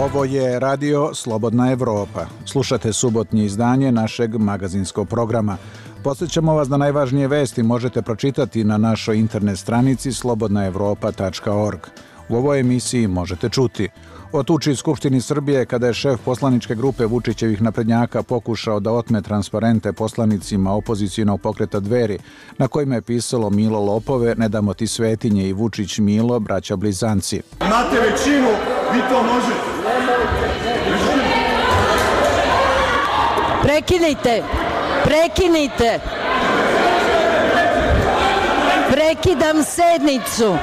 Ovo je radio Slobodna Evropa. Slušate subotnje izdanje našeg magazinskog programa. Podsjećamo vas da najvažnije vesti možete pročitati na našoj internet stranici slobodnaevropa.org. U ovoj emisiji možete čuti o tuči Skupštini Srbije kada je šef poslaničke grupe Vučićevih naprednjaka pokušao da otme transparente poslanicima opozicionog pokreta Dveri, na kojima je pisalo Milo lopove, ne damo ti svetinje i Vučić Milo, braća blizanci. Imate većinu, vi to možete. Prekinite! Prekinite! Prekidam sednicu!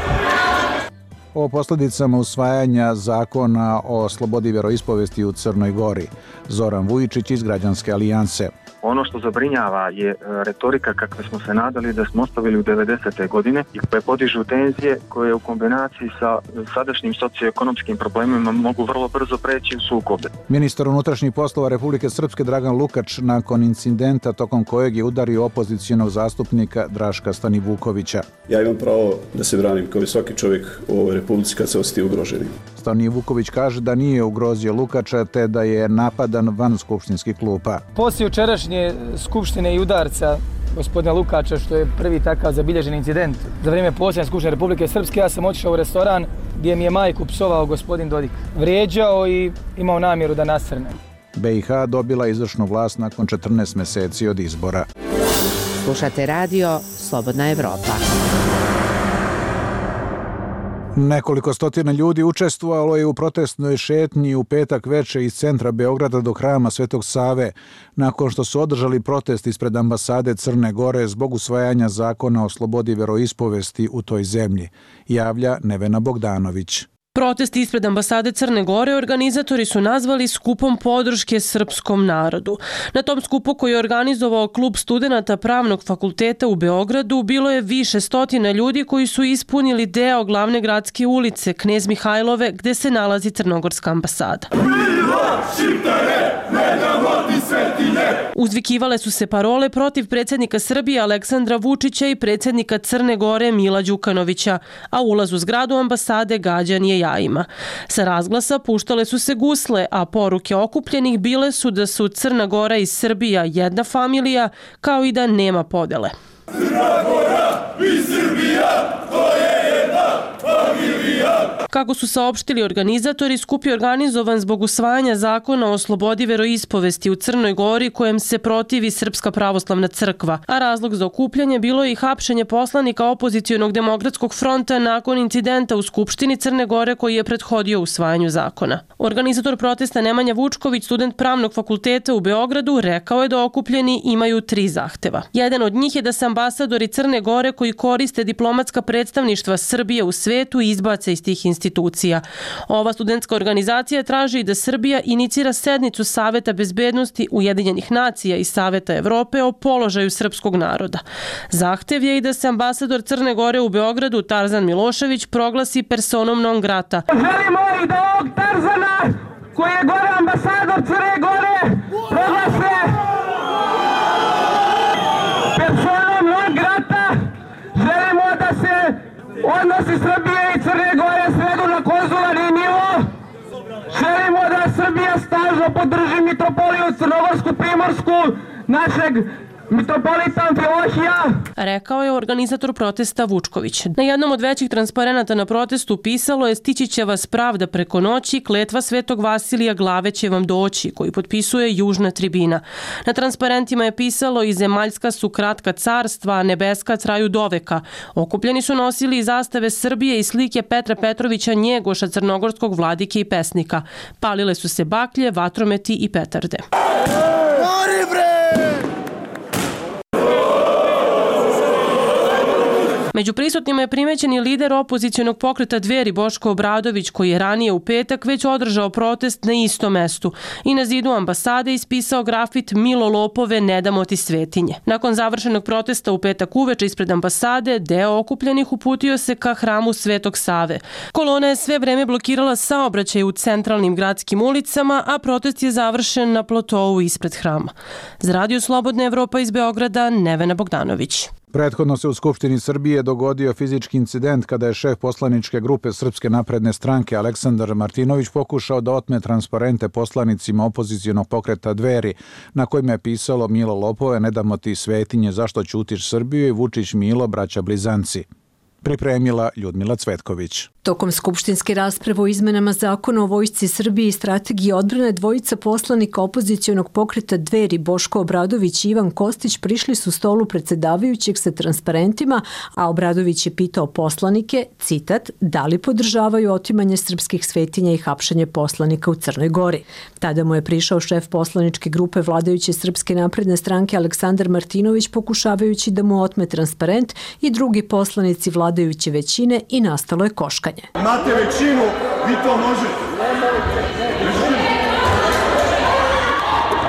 O posljedicama usvajanja zakona o slobodi vjeroispovesti u Crnoj Gori. Zoran Vujičić iz Građanske alijanse. Ono što zabrinjava je retorika kakve smo se nadali da smo ostavili u 90. godine i koje podižu tenzije koje u kombinaciji sa sadašnjim socioekonomskim problemima mogu vrlo brzo preći u sukobe. Ministar unutrašnjih poslova Republike Srpske Dragan Lukač nakon incidenta tokom kojeg je udario opozicionog zastupnika Draška Stanivukovića. Ja imam pravo da se branim kao i svaki čovjek u ovoj republici kad se osjeti ugroženim. Stanivuković kaže da nije ugrozio Lukača te da je napadan van skupštinskih klupa. Poslije jučerašnje skupštine i udarca gospodina Lukača, što je prvi takav zabilježen incident za vrijeme posljednje skupštine Republike Srpske, ja sam otišao u restoran gdje mi je majku psovao gospodin Dodik. Vrijeđao i imao namjeru da nasrne. BiH dobila izvršnu vlast nakon 14 mjeseci od izbora. Slušate radio Slobodna Evropa. Nekoliko stotina ljudi učestvovalo je u protestnoj šetnji u petak veče iz centra Beograda do hrama Svetog Save, nakon što su održali protest ispred ambasade Crne Gore zbog usvajanja zakona o slobodi vjeroispovesti u toj zemlji, javlja Nevena Bogdanović. Protest ispred ambasade Crne Gore organizatori su nazvali skupom podrške srpskom narodu. Na tom skupu koji je organizovao klub studenata Pravnog fakulteta u Beogradu bilo je više stotina ljudi koji su ispunili deo glavne gradske ulice Knez Mihajlove gdje se nalazi crnogorska ambasada. Uzvikivale su se parole protiv predsjednika Srbije Aleksandra Vučića i predsjednika Crne Gore Mila Đukanovića, a ulaz u zgradu ambasade gađan je jajima. Sa razglasa puštale su se gusle, a poruke okupljenih bile su da su Crna Gora i Srbija jedna familija, kao i da nema podele. Crna Gora i Srbija, to je jedna familija. Kako su saopštili organizatori, skup je organizovan zbog usvajanja zakona o slobodi veroispovesti u Crnoj Gori kojem se protivi Srpska pravoslavna crkva, a razlog za okupljanje bilo je i hapšenje poslanika opozicionog demokratskog fronta nakon incidenta u Skupštini Crne Gore koji je prethodio usvajanju zakona. Organizator protesta Nemanja Vučković, student Pravnog fakulteta u Beogradu, rekao je da okupljeni imaju 3 zahteva. Jedan od njih je da se ambasadori Crne Gore koji koriste diplomatska predstavništva Srbije u svetu izbace iz tih institucija. Ova studentska organizacija traži da Srbija inicira sednicu Saveta bezbednosti Ujedinjenih nacija i Saveta Evrope o položaju srpskog naroda. Zahtev je i da se ambasador Crne Gore u Beogradu Tarzan Milošević proglasi personom non grata. Želimo i da ovog Tarzana, koji je gore ambasador Crne Gore, proglase personom non grata. Želimo da se odnosi Srbije i Crne Gore svedu na konzularni nivo. Želimo da Srbija snažno podrži mitropoliju Crnogorsku Primorsku, našeg mitropolita Amfilohija, rekao je organizator protesta Vučković. Na jednom od većih transparenata na protestu pisalo je stići će vas pravda preko noći, kletva Svetog Vasilija glave će vam doći, koji potpisuje Južna tribina. Na transparentima je pisalo i zemaljska su kratka carstva, a nebeska traju doveka. Okupljeni su nosili i zastave Srbije i slike Petra Petrovića Njegoša, crnogorskog vladike i pesnika. Palile su se baklje, vatrometi i petarde. Među prisutnima je primećen i lider opozicionog pokreta Dveri Boško Obradović, koji je ranije u petak već održao protest na istom mestu i na zidu ambasade ispisao grafit Milo lopove, ne damo ti svetinje. Nakon završenog protesta u petak uveče ispred ambasade, deo okupljenih uputio se ka hramu Svetog Save. Kolona je sve vreme blokirala saobraćaj u centralnim gradskim ulicama, a protest je završen na plotou ispred hrama. Za Radio Slobodna Evropa iz Beograda, Nevena Bogdanović. Prethodno se u Skupštini Srbije dogodio fizički incident kada je šef poslaničke grupe Srpske napredne stranke Aleksandar Martinović pokušao da otme transparente poslanicima opozicionog pokreta Dveri, na kojima je pisalo Milo lopove, ne damo ti svetinje, zašto ćutiš Srbiju i Vučić Milo, braća blizanci. Pripremila Ljudmila Cvetković. Tokom skupštinske rasprave o izmenama zakona o Vojsci Srbije i strategiji odbrane, dvojica poslanika opozicionog pokreta Dveri, Boško Obradović i Ivan Kostić, prišli su stolu predsedavajućeg sa transparentima, a Obradović je pitao poslanike, citat, da li podržavaju otimanje srpskih svetinja i hapšenje poslanika u Crnoj Gori. Tada mu je prišao šef poslaničke grupe vladajuće Srpske napredne stranke Aleksandar Martinović, pokušavajući da mu otme transparent, i drugi poslanici vladajuće većine, i nastalo je koškanje. Imate većinu, vi to možete.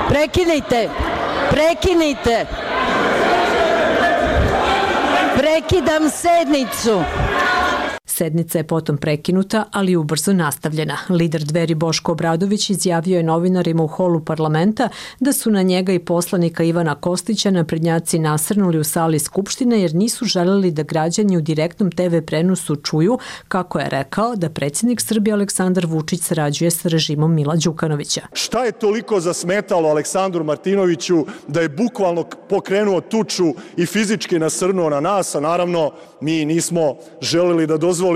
Prekinite! Prekinite! Prekidam sednicu! Sednica je potom prekinuta, ali ubrzo nastavljena. Lider Dveri Boško Obradović izjavio je novinarima u holu parlamenta da su na njega i poslanika Ivana Kostića naprednjaci nasrnuli u sali Skupštine jer nisu želeli da građani u direktnom TV prenosu čuju, kako je rekao, da predsjednik Srbije Aleksandar Vučić sarađuje sa režimom Mila Đukanovića. Šta je toliko zasmetalo Aleksandru Martinoviću da je bukvalno pokrenuo tuču i fizički nasrnuo na nas, a naravno mi nismo želeli da dozvolimo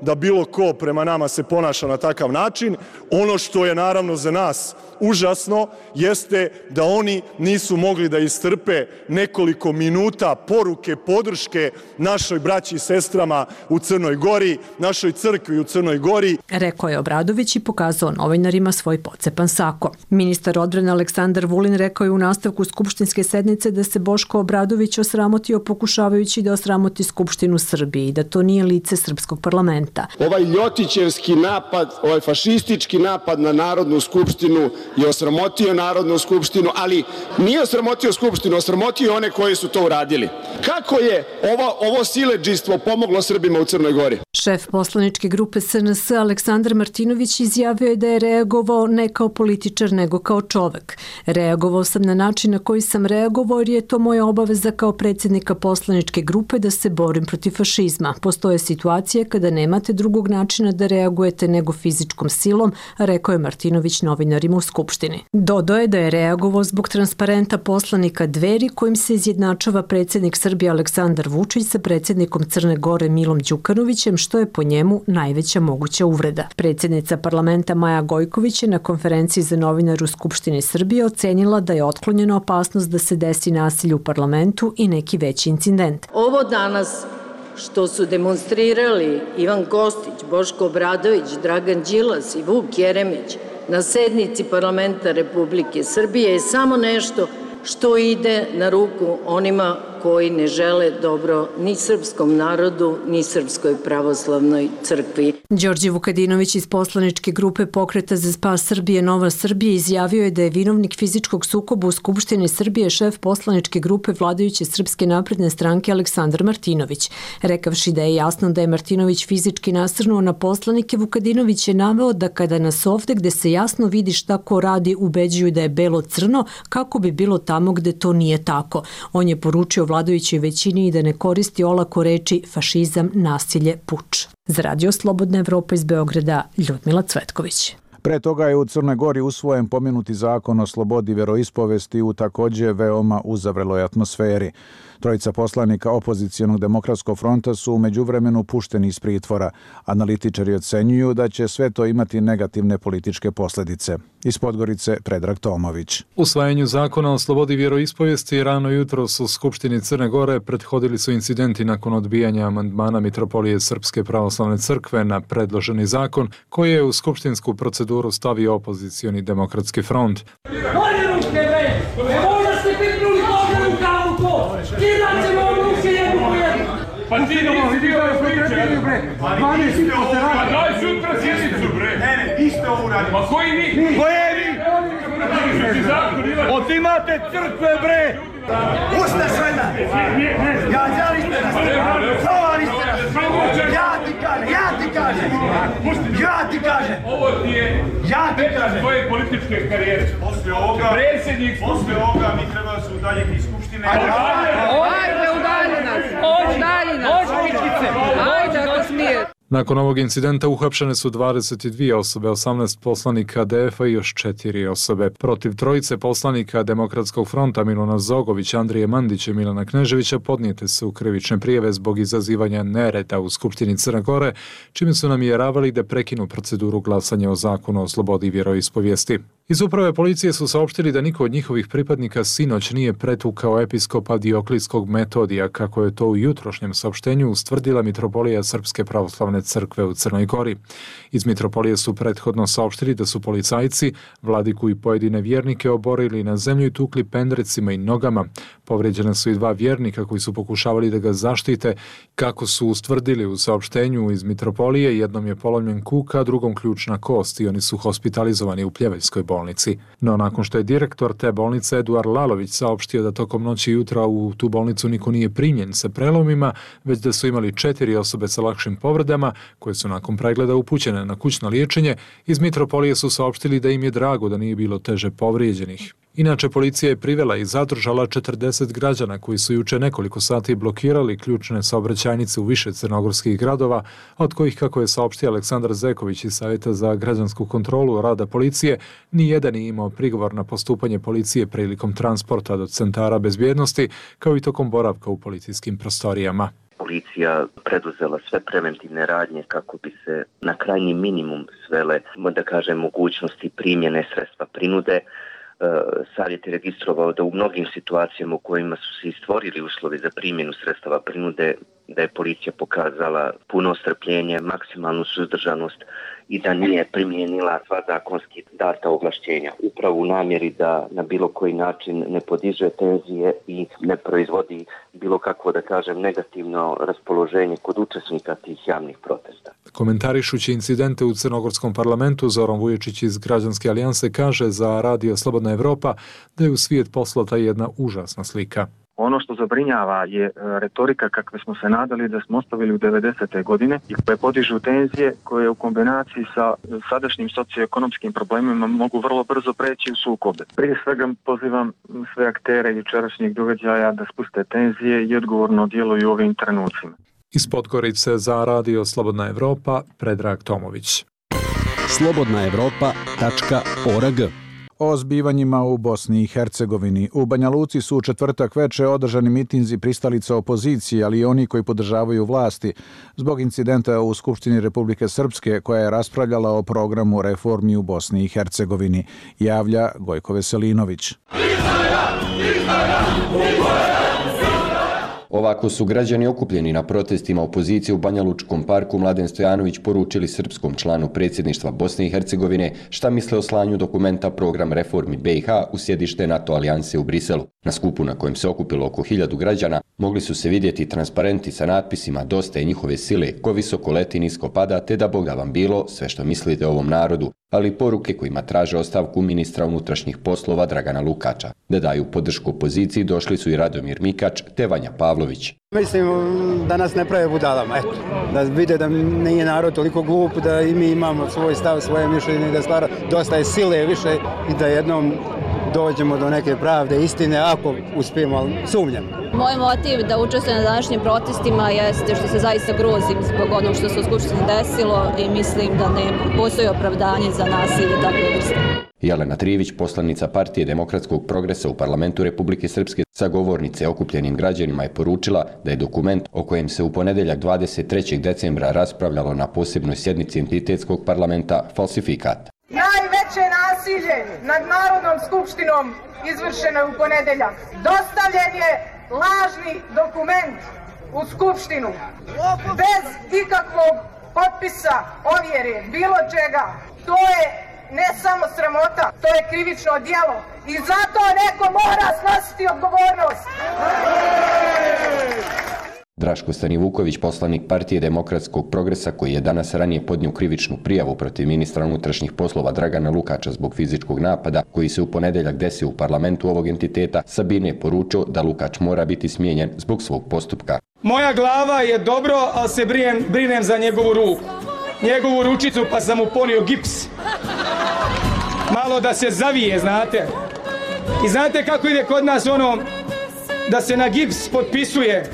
da bilo ko prema nama se ponaša na takav način. Ono što je naravno za nas užasno jeste da oni nisu mogli da istrpe nekoliko minuta poruke podrške našoj braći i sestrama u Crnoj Gori, našoj crkvi u Crnoj Gori. Rekao je Obradović i pokazao novinarima svoj pocepan sako. Ministar odbrane Aleksandar Vulin rekao je u nastavku skupštinske sednice da se Boško Obradović osramotio pokušavajući da osramoti Skupštinu Srbije i da to nije lice srpskog parlamenta. Ovaj ljotićevski napad, ovaj fašistički napad na Narodnu skupštinu je osramotio Narodnu skupštinu, ali nije osramotio Skupštinu, osramotio one koji su to uradili. Kako je ovo siledžijstvo pomoglo Srbima u Crnoj Gori? Šef poslaničke grupe SNS Aleksandar Martinović izjavio je da je reagovao ne kao političar nego kao čovek. Reagovao sam na način na koji sam reagovao jer je to moja obaveza kao predsjednika poslaničke grupe da se borim protiv fašizma. Postoje situacije kada nemate drugog načina da reagujete nego fizičkom silom, rekao je Martinović novinarima u Skupštini. Dodao je da je reagovao zbog transparenta poslanika Dveri kojim se izjednačava predsjednik Srbije Aleksandar Vučić sa predsjednikom Crne Gore Milom Đukanovićem, što je po njemu najveća moguća uvreda. Predsjednica parlamenta Maja Gojković je na konferenciji za novinare u Skupštini Srbije ocenila da je otklonjena opasnost da se desi nasilje u parlamentu i neki veći incident. Ovo danas što su demonstrirali Ivan Kostić, Boško Obradović, Dragan Đilas i Vuk Jeremić na sednici parlamenta Republike Srbije je samo nešto što ide na ruku onima koji ne žele dobro ni srpskom narodu, ni Srpskoj pravoslavnoj crkvi. Đorđe Vukadinović iz poslaničke grupe Pokreta za spas Srbije Nova Srbija izjavio je da je vinovnik fizičkog sukoba u Skupštini Srbije šef poslaničke grupe vladajuće Srpske napredne stranke Aleksandar Martinović. Rekavši da je jasno da je Martinović fizički nasrnuo na poslanike, Vukadinović je naveo da kada nas ovde gde se jasno vidi šta ko radi ubeđuju da je belo-crno, kako bi bilo tamo gde to nije tako. On je poručio vladajućoj većini i da ne koristi olako reči fašizam, nasilje, puč. Za Radio Slobodna Evropa iz Beograda, Ljudmila Cvetković. Pre toga je u Crnoj Gori usvojen pomenuti zakon o slobodi veroispovesti u takođe veoma uzavreloj atmosferi. Trojica poslanika opozicijonog demokratskog fronta su u međuvremenu pušteni iz pritvora. Analitičari ocenjuju da će sve to imati negativne političke posledice. Iz Podgorice, Predrag Tomović. Usvajanju zakona o slobodi vjeroispovijesti rano jutros u Skupštini Crne Gore prethodili su incidenti nakon odbijanja amandmana Mitropolije Srpske pravoslavne crkve na predloženi zakon koji je u skupštinsku proceduru stavio opozicioni demokratski front. Pa ti nisi bio priče, bre. Daj sutra sjednicu, bre. Ne, vi ste ovo uradili. Ma koji mi? Koje vi? Otimate crkve, bre. Ustaš veda. Gađali ste nas. Provali ste nas. Ja ti kažem. Ovo ti je tvoje političke karijere. Posle ovoga mi treba da se udaljiti iz Skupštine. Ajde, udaljena. Nakon ovog incidenta uhapšene su 22 osobe, 18 poslanika DF-a i još 4 osobe. Protiv trojice poslanika Demokratskog fronta Miluna Zogovića, Andrije Mandića i Milana Kneževića podnijete su krivične prijave zbog izazivanja nereda u Skupštini Crne Gore, čime su namjeravali da prekinu proceduru glasanja o zakonu o slobodi vjeroispovijesti. Iz uprave policije su saopštili da niko od njihovih pripadnika sinoć nije pretukao episkopa Dioklijskog Metodija, kako je to u jutrošnjem saopštenju ustvrdila Mitropolija Srpske pravoslavne crkve u Crnoj Gori. Iz Mitropolije su prethodno saopštili da su policajci vladiku i pojedine vjernike oborili na zemlju i tukli pendrecima i nogama. Povrijeđene su i 2 vjernika koji su pokušavali da ga zaštite. Kako su ustvrdili u saopštenju iz Mitropolije, jednom je polomljen kuk, a drugom ključna kost i oni su hospitalizovani u Pljeveljskoj bolnici. No nakon što je direktor te bolnice Eduard Lalović saopštio da tokom noći i jutra u tu bolnicu niko nije primljen sa prelomima, već da su imali 4 osobe sa lakšim povredama koje su nakon pregleda upućene na kućno liječenje, iz Mitropolije su saopštili da im je drago da nije bilo teže povrijeđenih. Inače, policija je privela i zadržala 40 građana koji su juče nekoliko sati blokirali ključne saobraćajnice u više crnogorskih gradova, od kojih, kako je saopštio Aleksandar Zeković iz Savjeta za građansku kontrolu rada policije, nijedan nije imao prigovor na postupanje policije prilikom transporta do centara bezbjednosti, kao i tokom boravka u policijskim prostorijama. Policija preduzela sve preventivne radnje kako bi se na krajnji minimum svele, da kažem, mogućnosti primjene sredstva prinude. Savjet je registrovao da u mnogim situacijama u kojima su se stvorili uslovi za primjenu sredstava prinude, da je policija pokazala puno strpljenje, maksimalnu suzdržanost i da nije primijenila sva zakonski data ovlašćenja. Upravo u namjeri da na bilo koji način ne podiže tenzije i ne proizvodi bilo kakvo, da kažem, negativno raspoloženje kod učesnika tih javnih protesta. Komentarišući incidente u Crnogorskom parlamentu, Zoran Vuječić iz Građanske alijanse kaže za Radio Slobodna Evropa da je u svijet poslata jedna užasna slika. Ono što zabrinjava je retorika kakve smo se nadali da smo ostavili u 90. godine i koje podižu tenzije koje u kombinaciji sa sadašnjim socioekonomskim problemima mogu vrlo brzo preći u sukobe. Prije svega pozivam sve aktere jučerašnjeg događaja da spuste tenzije i odgovorno djeluju u ovim trenucima. Iz Podgorice za Radio Slobodna Evropa, Predrag Tomović. slobodnaevropa.org. O zbivanjima u Bosni i Hercegovini. U Banja Luci su u četvrtak veče održani mitinzi pristalica opozicije, ali i oni koji podržavaju vlasti, zbog incidenta u Skupštini Republike Srpske koja je raspravljala o programu reformi u Bosni i Hercegovini, javlja Gojko Veselinović. Ovako su građani okupljeni na protestima opozicije u Banja Lučkom parku Mladen Stojanović poručili srpskom članu predsjedništva Bosne i Hercegovine šta misle o slanju dokumenta program reformi BiH u sjedište NATO alijanse u Briselu. Na skupu na kojem se okupilo oko 1000 građana mogli su se vidjeti transparenti sa natpisima Dosta je njihove sile, ko visoko leti nisko pada, te da Boga vam bilo, sve što mislite o ovom narodu, ali i poruke kojima traže ostavku ministra unutrašnjih poslova Dragana Lukača. Da daju podršku opoziciji došli su i Radomir Mikač te Vanja Pavlović. Mislim da nas ne prave budalama, eto. Da vide da nije narod toliko glup, da i mi imamo svoj stav, svoje mišljenje i da stvara dosta je sile više i da jednom dođemo do neke pravde, istine, ako uspijemo, ali sumnjam. Moj motiv da učestvujem na današnjim protestima jeste što se zaista grozim zbog onog što se u Skupštini desilo i mislim da ne postoji opravdanje za nasilje takve vrste. Jelena Trivić, poslanica Partije demokratskog progresa u parlamentu Republike Srpske, sa govornice okupljenim građanima je poručila da je dokument o kojem se u ponedjeljak 23. decembra raspravljalo na posebnoj sjednici entitetskog parlamenta falsifikat. Najveće nasilje nad Narodnom skupštinom izvršeno je u ponedeljak. Dostavljen je lažni dokument u skupštinu bez ikakvog potpisa, ovjere, bilo čega. To je ne samo sramota, to je krivično djelo i zato neko mora snositi odgovornost. Draško Stanivuković, poslanik Partije demokratskog progresa, koji je danas ranije podnio krivičnu prijavu protiv ministra unutrašnjih poslova Dragana Lukača zbog fizičkog napada koji se u ponedjeljak desio u parlamentu ovog entiteta, Sabine je poručio da Lukač mora biti smijenjen zbog svog postupka. Moja glava je dobro, ali se brinem za njegovu ruku. Njegovu ručicu pa sam mu ponio gips. Malo da se zavije, znate. I znate kako ide kod nas ono da se na gips potpisuje.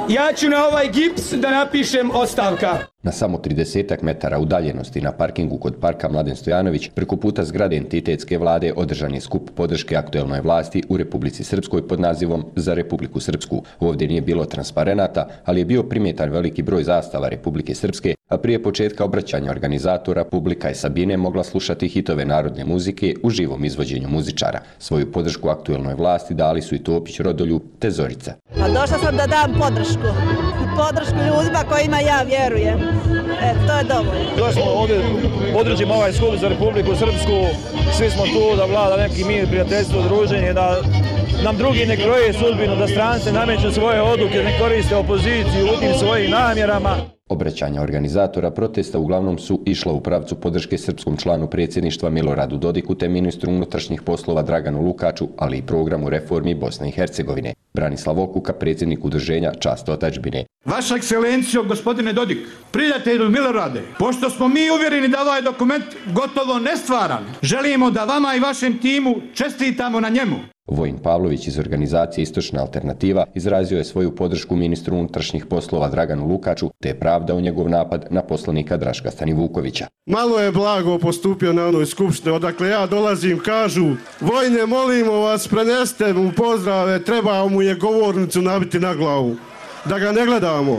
Ja ću na ovaj gips da napišem ostavka. Na samo 30 metara udaljenosti na parkingu kod parka Mladen Stojanović, preko puta zgrade entitetske vlade, održan je skup podrške aktuelnoj vlasti u Republici Srpskoj pod nazivom Za Republiku Srpsku. Ovdje nije bilo transparenata, ali je bio primjetan veliki broj zastava Republike Srpske, a prije početka obraćanja organizatora publika je Sabine mogla slušati hitove narodne muzike u živom izvođenju muzičara. Svoju podršku aktuelnoj vlasti dali su i Topić, Rodoljub te Zorica. Došla sam da dam podršku ljudima kojima ja vjerujem. To je dovoljno. Došli smo ovdje, podržimo ovaj skup za Republiku Srpsku, svi smo tu da vlada neki mir, prijateljstvo, druženje, da nam drugi ne kroje sudbinu, da strance nameću svoje odluke, ne koriste opoziciju u tim svojim namjerama. Obraćanja organizatora protesta uglavnom su išla u pravcu podrške srpskom članu predsjedništva Miloradu Dodiku te ministru unutrašnjih poslova Draganu Lukaču, ali i programu reformi Bosne i Hercegovine. Branislav Okuka, predsjednik udruženja Čast otadžbine. Vaša ekscelencijo, gospodine Dodik, prijatelju Milorade, pošto smo mi uvjereni da ovaj dokument gotovo nestvaran, želimo da vama i vašem timu čestitamo na njemu. Vojin Pavlović iz organizacije Istočna alternativa izrazio je svoju podršku ministru unutrašnjih poslova Draganu Lukaču te je pravdao njegov napad na poslanika Draška Stanivukovića. Malo je blago postupio na onoj skupštini, odakle ja dolazim, kažu: Vojne, molimo vas, preneste mu pozdrave, treba mu je govornicu nabiti na glavu, da ga ne gledamo.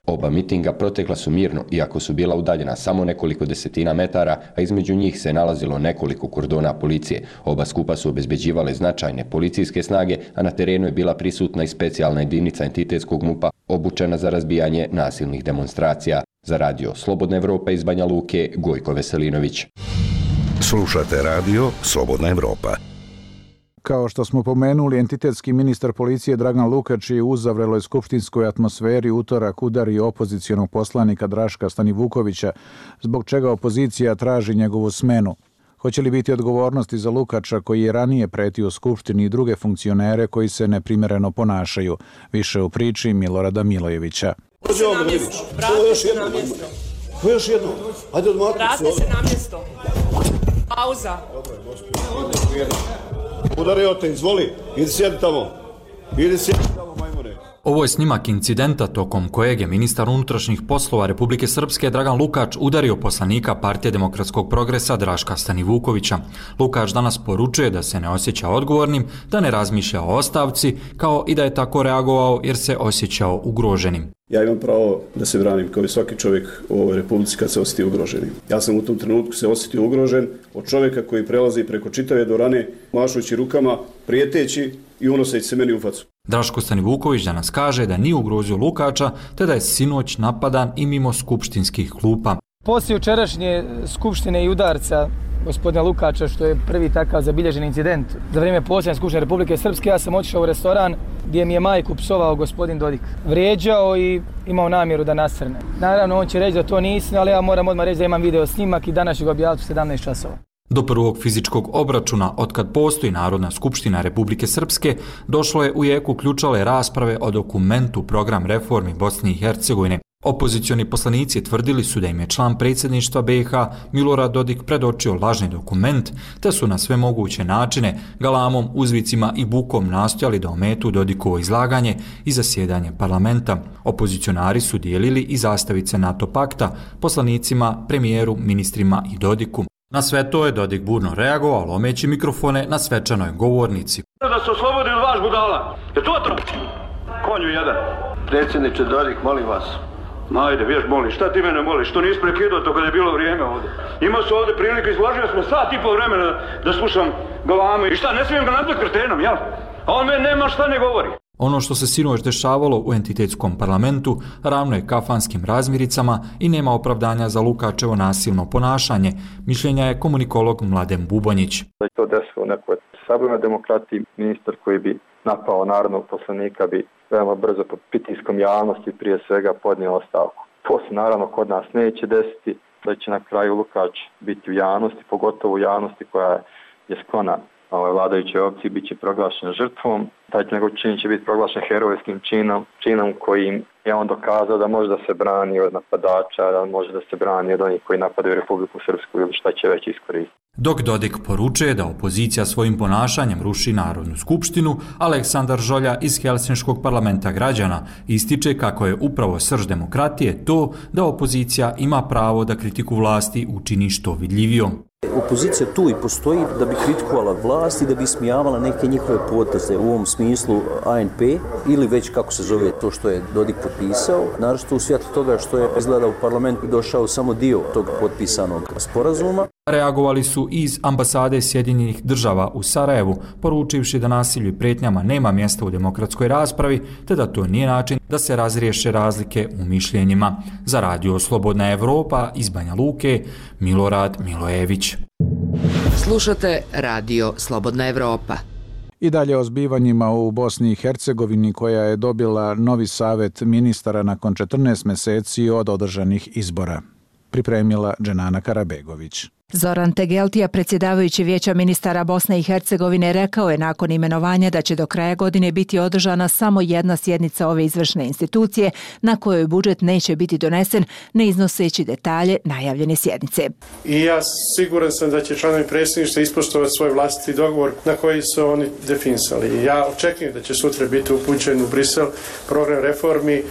Oba mitinga protekla su mirno, iako su bila udaljena samo nekoliko desetina metara, a između njih se nalazilo nekoliko kordona policije. Oba skupa su obezbeđivale značajne policijske snage, a na terenu je bila prisutna i specijalna jedinica entitetskog MUP-a, obučena za razbijanje nasilnih demonstracija. Za radio Slobodna Evropa iz Banja Luke, Gojko Veselinović. Slušate radio Slobodna Evropa. Kao što smo pomenuli, entitetski ministar policije Dragan Lukač je u uzavreloj skupštinskoj atmosferi utorak udario opozicionog poslanika Draška Stanivukovića, zbog čega opozicija traži njegovu smenu. Hoće li biti odgovornosti za Lukača koji je ranije pretio Skupštini i druge funkcionere koji se neprimjereno ponašaju? Više u priči Milorada Milojevića. Još jedno. Ajde odmaknuti se. Vrate se na mjesto. Pauza. Udario te, izvoli, idi sjedi tamo, majmune. Ovo je snimak incidenta tokom kojeg je ministar unutrašnjih poslova Republike Srpske Dragan Lukač udario poslanika Partije demokratskog progresa Draška Stanivukovića. Lukač danas poručuje da se ne osjeća odgovornim, da ne razmišlja o ostavci, kao i da je tako reagovao jer se osjećao ugroženim. Ja imam pravo da se branim kao i svaki čovjek u ovoj Republici kad se osjeti ugroženim. Ja sam u tom trenutku se osjetio ugrožen od čovjeka koji prelazi preko čitave dvorane, mašući rukama, prijeteći i unoseći se meni u facu. Draško Stanivuković danas kaže da nije ugrozio Lukača, te da je sinoć napadan i mimo skupštinskih klupa. Poslije jučerašnje skupštine i udarca gospodina Lukača, što je prvi takav zabilježen incident za vrijeme posljednje skupštine Republike Srpske, ja sam otišao u restoran gdje mi je majku psovao gospodin Dodik. Vrijeđao i imao namjeru da nasrne. Naravno, on će reći da to nisam, ali ja moram odmah reći da imam video snimak i danas ću ga objaviti u 17 časova. Do prvog fizičkog obračuna, otkad postoji Narodna skupština Republike Srpske, došlo je u jeku ključale rasprave o dokumentu Program reformi Bosne i Hercegovine. Opozicioni poslanici tvrdili su da im je član predsjedništva BiH Milorad Dodik predočio lažni dokument, te su na sve moguće načine, galamom, uzvicima i bukom nastojali da ometu Dodikovo izlaganje i zasjedanje parlamenta. Opozicionari su dijelili i zastavice NATO pakta poslanicima, premijeru, ministrima i Dodiku. Na sve to je Dodik burno reagovao, lomeći mikrofone na svečanoj govornici. Da se oslobodi od vaš budala. Je to to? Konju jedan. Predsjedniče Dodik, molim vas. Ajde, vješ molim, šta ti mene moliš? Što nisi prekidao to kada je bilo vrijeme ovdje? Imao su ovdje prilike, izložio smo sat i pol vremena da slušam galame. I šta, ne smijem ga nazvati kretenom, jel? A on meni nema šta ne govori. Ono što se sinoć dešavalo u entitetskom parlamentu ravno je kafanskim razmiricama i nema opravdanja za Lukačevo nasilno ponašanje, mišljenja je komunikolog Mladen Bubonjić. Da je to desilo u nekoj sabornoj demokratiji, ministar koji bi napao narodnog poslanika bi veoma brzo pod pritiskom javnosti prije svega podnio ostavku. To se naravno kod nas neće desiti, da će na kraju Lukač biti u javnosti, pogotovo u javnosti koja je sklona vladajućoj opciji, bit će proglašen žrtvom. Taj njegov čin će biti proglašen herojskim činom kojim je on dokazao da može da se brani od napadača, da može da se brani od onih koji napadaju Republiku Srpsku ili šta će već iskoristiti. Dok Dodik poručuje da opozicija svojim ponašanjem ruši Narodnu skupštinu, Aleksandar Žolja iz Helsinškog parlamenta građana ističe kako je upravo srž demokratije to da opozicija ima pravo da kritiku vlasti učini što vidljivijom. Opozicija tu i postoji da bi kritikovala vlast i da bi ismijavala neke njihove poteze, u ovom smislu ANP ili već kako se zove to što je Dodik potpisao, naročito u svjetlu toga što je izgleda u parlament došao samo dio tog potpisanog sporazuma. Reagovali su iz ambasade Sjedinjenih država u Sarajevu, poručivši da nasilju i pretnjama nema mjesta u demokratskoj raspravi, te da to nije način da se razriješe razlike u mišljenjima. Za Radio Slobodna Evropa iz Banja Luke, Milorad Milojević. Slušate Radio Slobodna Evropa. I dalje o zbivanjima u Bosni i Hercegovini, koja je dobila novi savet ministara nakon 14 mjeseci od održanih izbora. Pripremila Dženana Karabegović. Zoran Tegeltija, predsjedavajući Vijeća ministara Bosne i Hercegovine, rekao je nakon imenovanja da će do kraja godine biti održana samo jedna sjednica ove izvršne institucije na kojoj budžet neće biti donesen, ne iznoseći detalje najavljene sjednice. I ja siguran sam da će članovi predsjedništva ispoštovati svoj vlastiti dogovor na koji su oni definisali. Ja očekujem da će sutra biti upućen u Brisel program reformi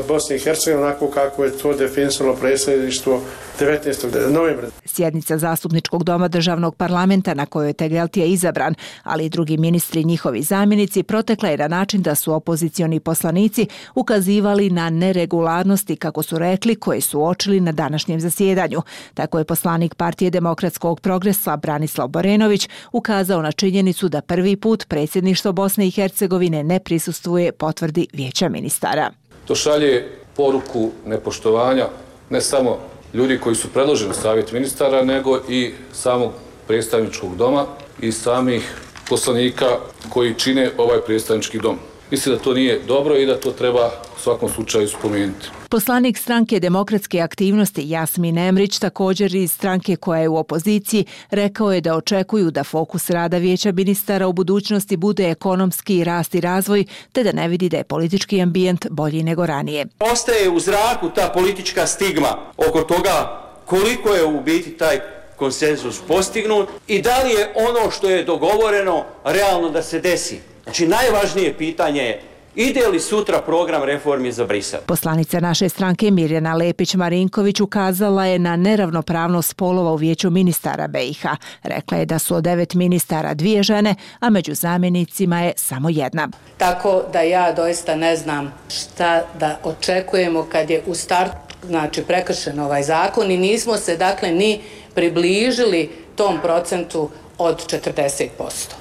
Bosne i Hercegovine onako kako je to definisalo predsjedništvo 19. novembra. Sjednica Zastupničkog doma državnog parlamenta na kojoj je Tegeltija izabran, ali i drugi ministri i njihovi zamjenici, protekla je na način da su opozicioni poslanici ukazivali na neregularnosti, kako su rekli, koje su uočili na današnjem zasjedanju. Tako je poslanik Partije demokratskog progresa Branislav Borenović ukazao na činjenicu da prvi put predsjedništvo Bosne i Hercegovine ne prisustvuje potvrdi Vijeća ministara. To šalje poruku nepoštovanja ne samo ljudi koji su predloženi u savjet ministara, nego i samog predstavničkog doma i samih poslanika koji čine ovaj predstavnički dom. Mislim da to nije dobro i da to treba u svakom slučaju spomenuti. Poslanik stranke Demokratske aktivnosti Jasmin Emrić, također iz stranke koja je u opoziciji, rekao je da očekuju da fokus rada Vijeća ministara u budućnosti bude ekonomski rast i razvoj, te da ne vidi da je politički ambijent bolji nego ranije. Ostaje u zraku ta politička stigma oko toga koliko je u biti taj konsenzus postignut i da li je ono što je dogovoreno realno da se desi. Znači, najvažnije pitanje je ide li sutra program reformi za Brisel? Poslanica naše stranke Mirjana Lepić-Marinković ukazala je na neravnopravnost spolova u Vijeću ministara BiH. Rekla je da su od 9 ministara 2 žene, a među zamjenicima je samo jedna. Tako da ja doista ne znam šta da očekujemo kad je u startu prekršen ovaj zakon i nismo se ni približili tom procentu od 40%.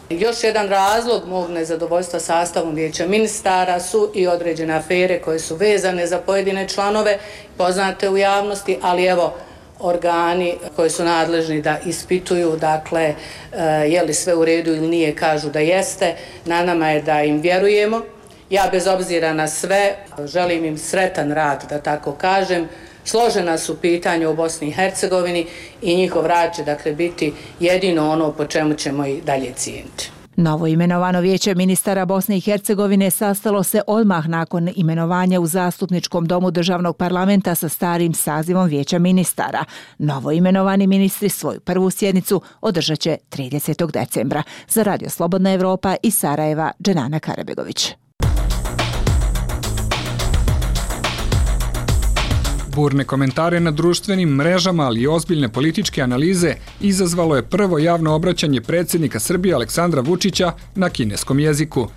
Još jedan razlog mog nezadovoljstva sastavom Vijeća ministara su i određene afere koje su vezane za pojedine članove, poznate u javnosti, ali evo organi koji su nadležni da ispituju, je li sve u redu ili nije, kažu da jeste. Na nama je da im vjerujemo. Ja bez obzira na sve želim im sretan rad, da tako kažem. Složena su pitanja u Bosni i Hercegovini i njihov rad će biti jedino ono po čemu ćemo i dalje cijeniti. Novo imenovano Vijeće ministara Bosne i Hercegovine sastalo se odmah nakon imenovanja u Zastupničkom domu državnog parlamenta sa starim sazivom Vijeća ministara. Novo imenovani ministri svoju prvu sjednicu održat će 30. decembra. Za Radio Slobodna Evropa iz Sarajeva, Dženana Karabegović. Burne komentare na društvenim mrežama, ali i ozbiljne političke analize izazvalo je prvo javno obraćanje predsjednika Srbije Aleksandra Vučića na kineskom jeziku.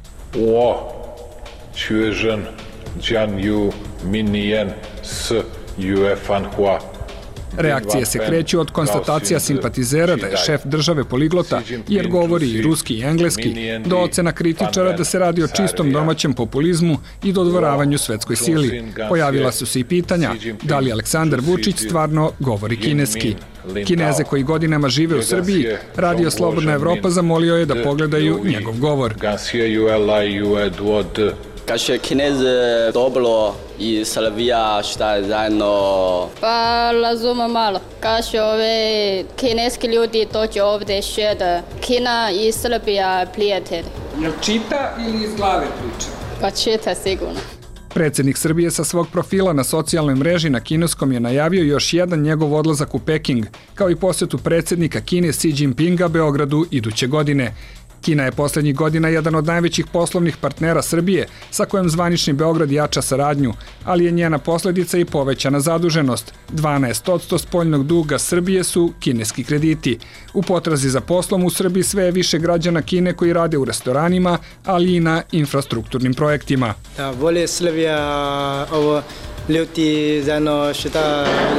Reakcije se kreću od konstatacija simpatizera da je šef države poliglota, jer govori i ruski i engleski, do ocena kritičara da se radi o čistom domaćem populizmu i dodvoravanju svetskoj sili. Pojavila su se i pitanja da li Aleksandar Vučić stvarno govori kineski. Kineze koji godinama žive u Srbiji, Radio Slobodna Evropa zamolio je da pogledaju njegov govor. Kaže Kinez dobro i Srbija šta je zajedno? Pa razumem malo. Kaže ove kineski ljudi dođe ovdje šeda. Kina i Srbija prijatelji. Jel čita ili iz glave priča? Pa čita sigurno. Predsjednik Srbije sa svog profila na socijalnoj mreži na kineskom je najavio još jedan njegov odlazak u Peking, kao i posjetu predsjednika Kine Xi Jinpinga Beogradu iduće godine. Kina je posljednjih godina jedan od najvećih poslovnih partnera Srbije, sa kojim zvanični Beograd jača saradnju, ali je njena posljedica i povećana zaduženost. 12% spoljnog duga Srbije su kineski krediti. U potrazi za poslom u Srbiji sve je više građana Kine koji rade u restoranima, ali i na infrastrukturnim projektima. Bolje Srbija ovo ljudi zajedno što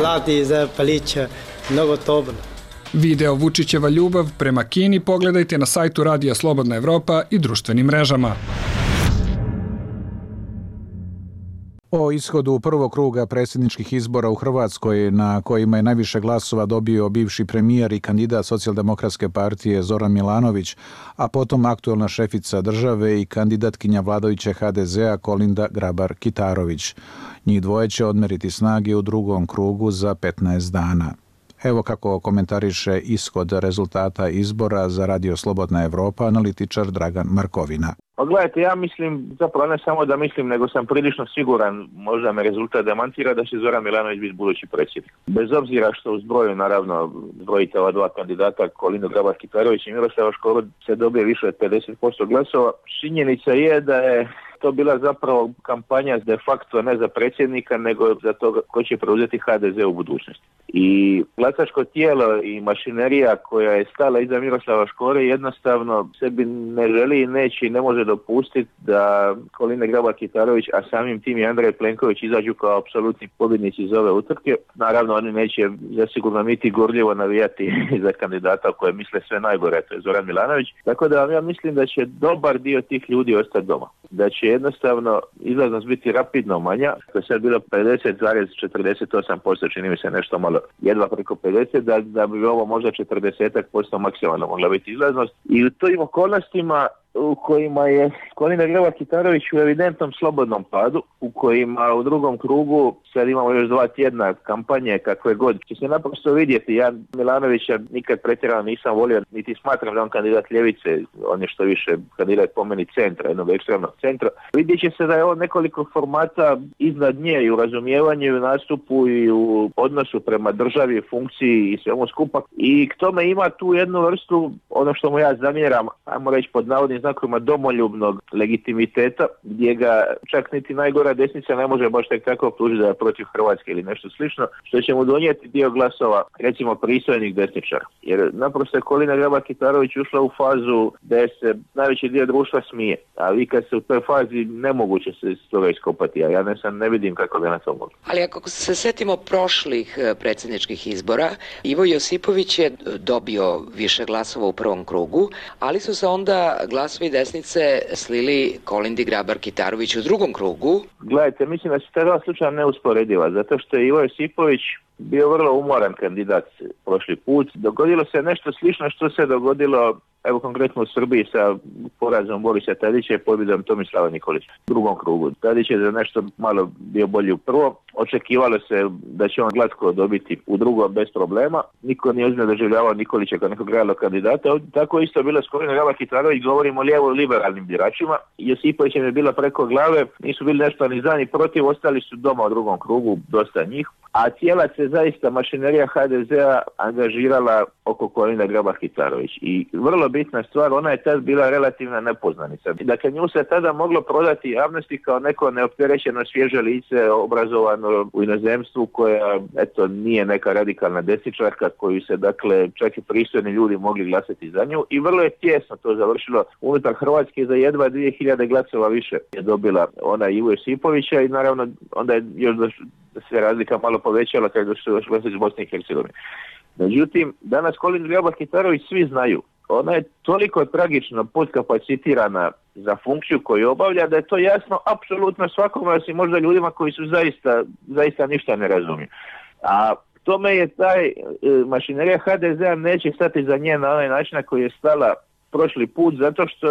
radi za palića, mnogo dobro. Video Vučićeva ljubav prema Kini pogledajte na sajtu Radija Slobodna Evropa i društvenim mrežama. O ishodu prvog kruga predsjedničkih izbora u Hrvatskoj, na kojima je najviše glasova dobio bivši premijer i kandidat Socijaldemokratske partije Zoran Milanović, a potom aktuelna šefica države i kandidatkinja vladajuće HDZ-a Kolinda Grabar-Kitarović. Njih dvoje će odmeriti snage u drugom krugu za 15 dana. Evo kako komentariše ishod rezultata izbora za Radio Slobodna Evropa analitičar Dragan Markovina. Pa gledajte, ja mislim, zapravo ne samo da mislim, nego sam prilično siguran, možda me rezultat demantira, da će Zoran Milanović biti budući predsjednik. Bez obzira što u zbroju, naravno, zbrojite ova dva kandidata, Kolindu Grabar-Kitarović i Miroslava Škoro, se dobije više od 50% glasova. Činjenica je da je to bila zapravo kampanja de facto ne za predsjednika, nego za to ko će preuzeti HDZ u budućnosti. I glasačko tijelo i mašinerija koja je stala iza Miroslava Škore jednostavno sebi ne želi i neće i ne može dopustiti da Kolinda Grabar-Kitarović, a samim tim i Andrej Plenković izađu kao apsolutni pobjednici iz ove utrke. Naravno, oni neće zasigurno niti gorljivo navijati za kandidata koje misle sve najgore, to je Zoran Milanović. Tako da ja mislim da će dobar dio tih ljudi ostati doma. Da će jednostavno izlaznost biti rapidno manja, to je sad bilo 50,48%, čini mi se nešto malo jedva preko 50, da bi ovo možda 40% maksimalno mogla biti izlaznost. I u tim okolnostima u kojima je Kolinda Grabar-Kitarović u evidentnom slobodnom padu, u kojima u drugom krugu sad imamo još 2 tjedna kampanje kakve god, će se naprosto vidjeti. Ja Milanovića nikad pretjerano nisam volio, niti smatram da on kandidat ljevice, on je što više kandidat po meni centra, jednog ekstremnog centra. Vidjet će se da je on nekoliko formata iznad nje i u razumijevanju, i u nastupu, i u odnosu prema državi, funkciji i svemu skupa. I k tome ima tu jednu vrstu, ono što mu ja zamjeram, ajmo reći pod navodnim znakovima, domoljubnog legitimiteta, gdje ga čak niti najgora desnica ne može baš tek tako optužiti da je protiv Hrvatske ili nešto slično, što će mu donijeti dio glasova, recimo pristojnih desničara. Jer naprosto je Kolinda Grabar-Kitarović ušla u fazu da se najveći dio društva smije, a vi kad se u toj fazi nemoguće se iz toga iskopati, a ja ne vidim kako ga na to mogu. Ali ako se setimo prošlih predsjedničkih izbora, Ivo Josipović je dobio više glasova u prvom krugu, ali su se onda glasovi desnice slili Kolindi Grabar-Kitarović u drugom krugu. Gledajte, mislim da su ta dva slučaja neusporediva, zato što je Ivo Josipović bio vrlo umoran kandidat prošli put. Dogodilo se nešto slično što se dogodilo, evo konkretno u Srbiji sa porazom Borisa Tadića i pobjedom Tomislava Nikolića u drugom krugu. Tadić je za nešto malo bio bolji u prvom. Očekivalo se da će on glatko dobiti u drugom bez problema. Niko nije ozbiljno doživljavao Nikolića kao nekog realnog kandidata. Tako isto bilo s Kolindom Grabar-Kitarović, govorimo o lijevo-liberalnim biračima. Josipović je bila preko glave, nisu bili nešto ni za ni protiv, ostali su doma u drugom krugu, dosta njih. A cijela se zaista mašinerija HDZ-a angažirala oko Kolinde Grabar-Kitarović. I vrlo bitna stvar, ona je tad bila relativna nepoznanica. Dakle, nju se tada moglo prodati javnosti kao neko neopterećeno svježe lice, obrazovano u inozemstvu, koja, eto, nije neka radikalna desničarka, koju se, dakle, čak i pristojni ljudi mogli glasati za nju. I vrlo je tjesno to završilo unutar Hrvatske, za jedva 2000 glasova više je dobila ona Ivo Josipovića i naravno onda je još se razlika malo povećala kada su došli iz Bosne i Hercegovine. Međutim, danas Kolinda Grabar-Kitarović svi znaju. Ona je toliko tragično podkapacitirana za funkciju koju obavlja da je to jasno apsolutno svakome, osim možda ljudima koji su zaista ništa ne razumiju. A tome je taj mašinerija HDZ-a neće stati za nje na onaj način na koji je stala prošli put, zato što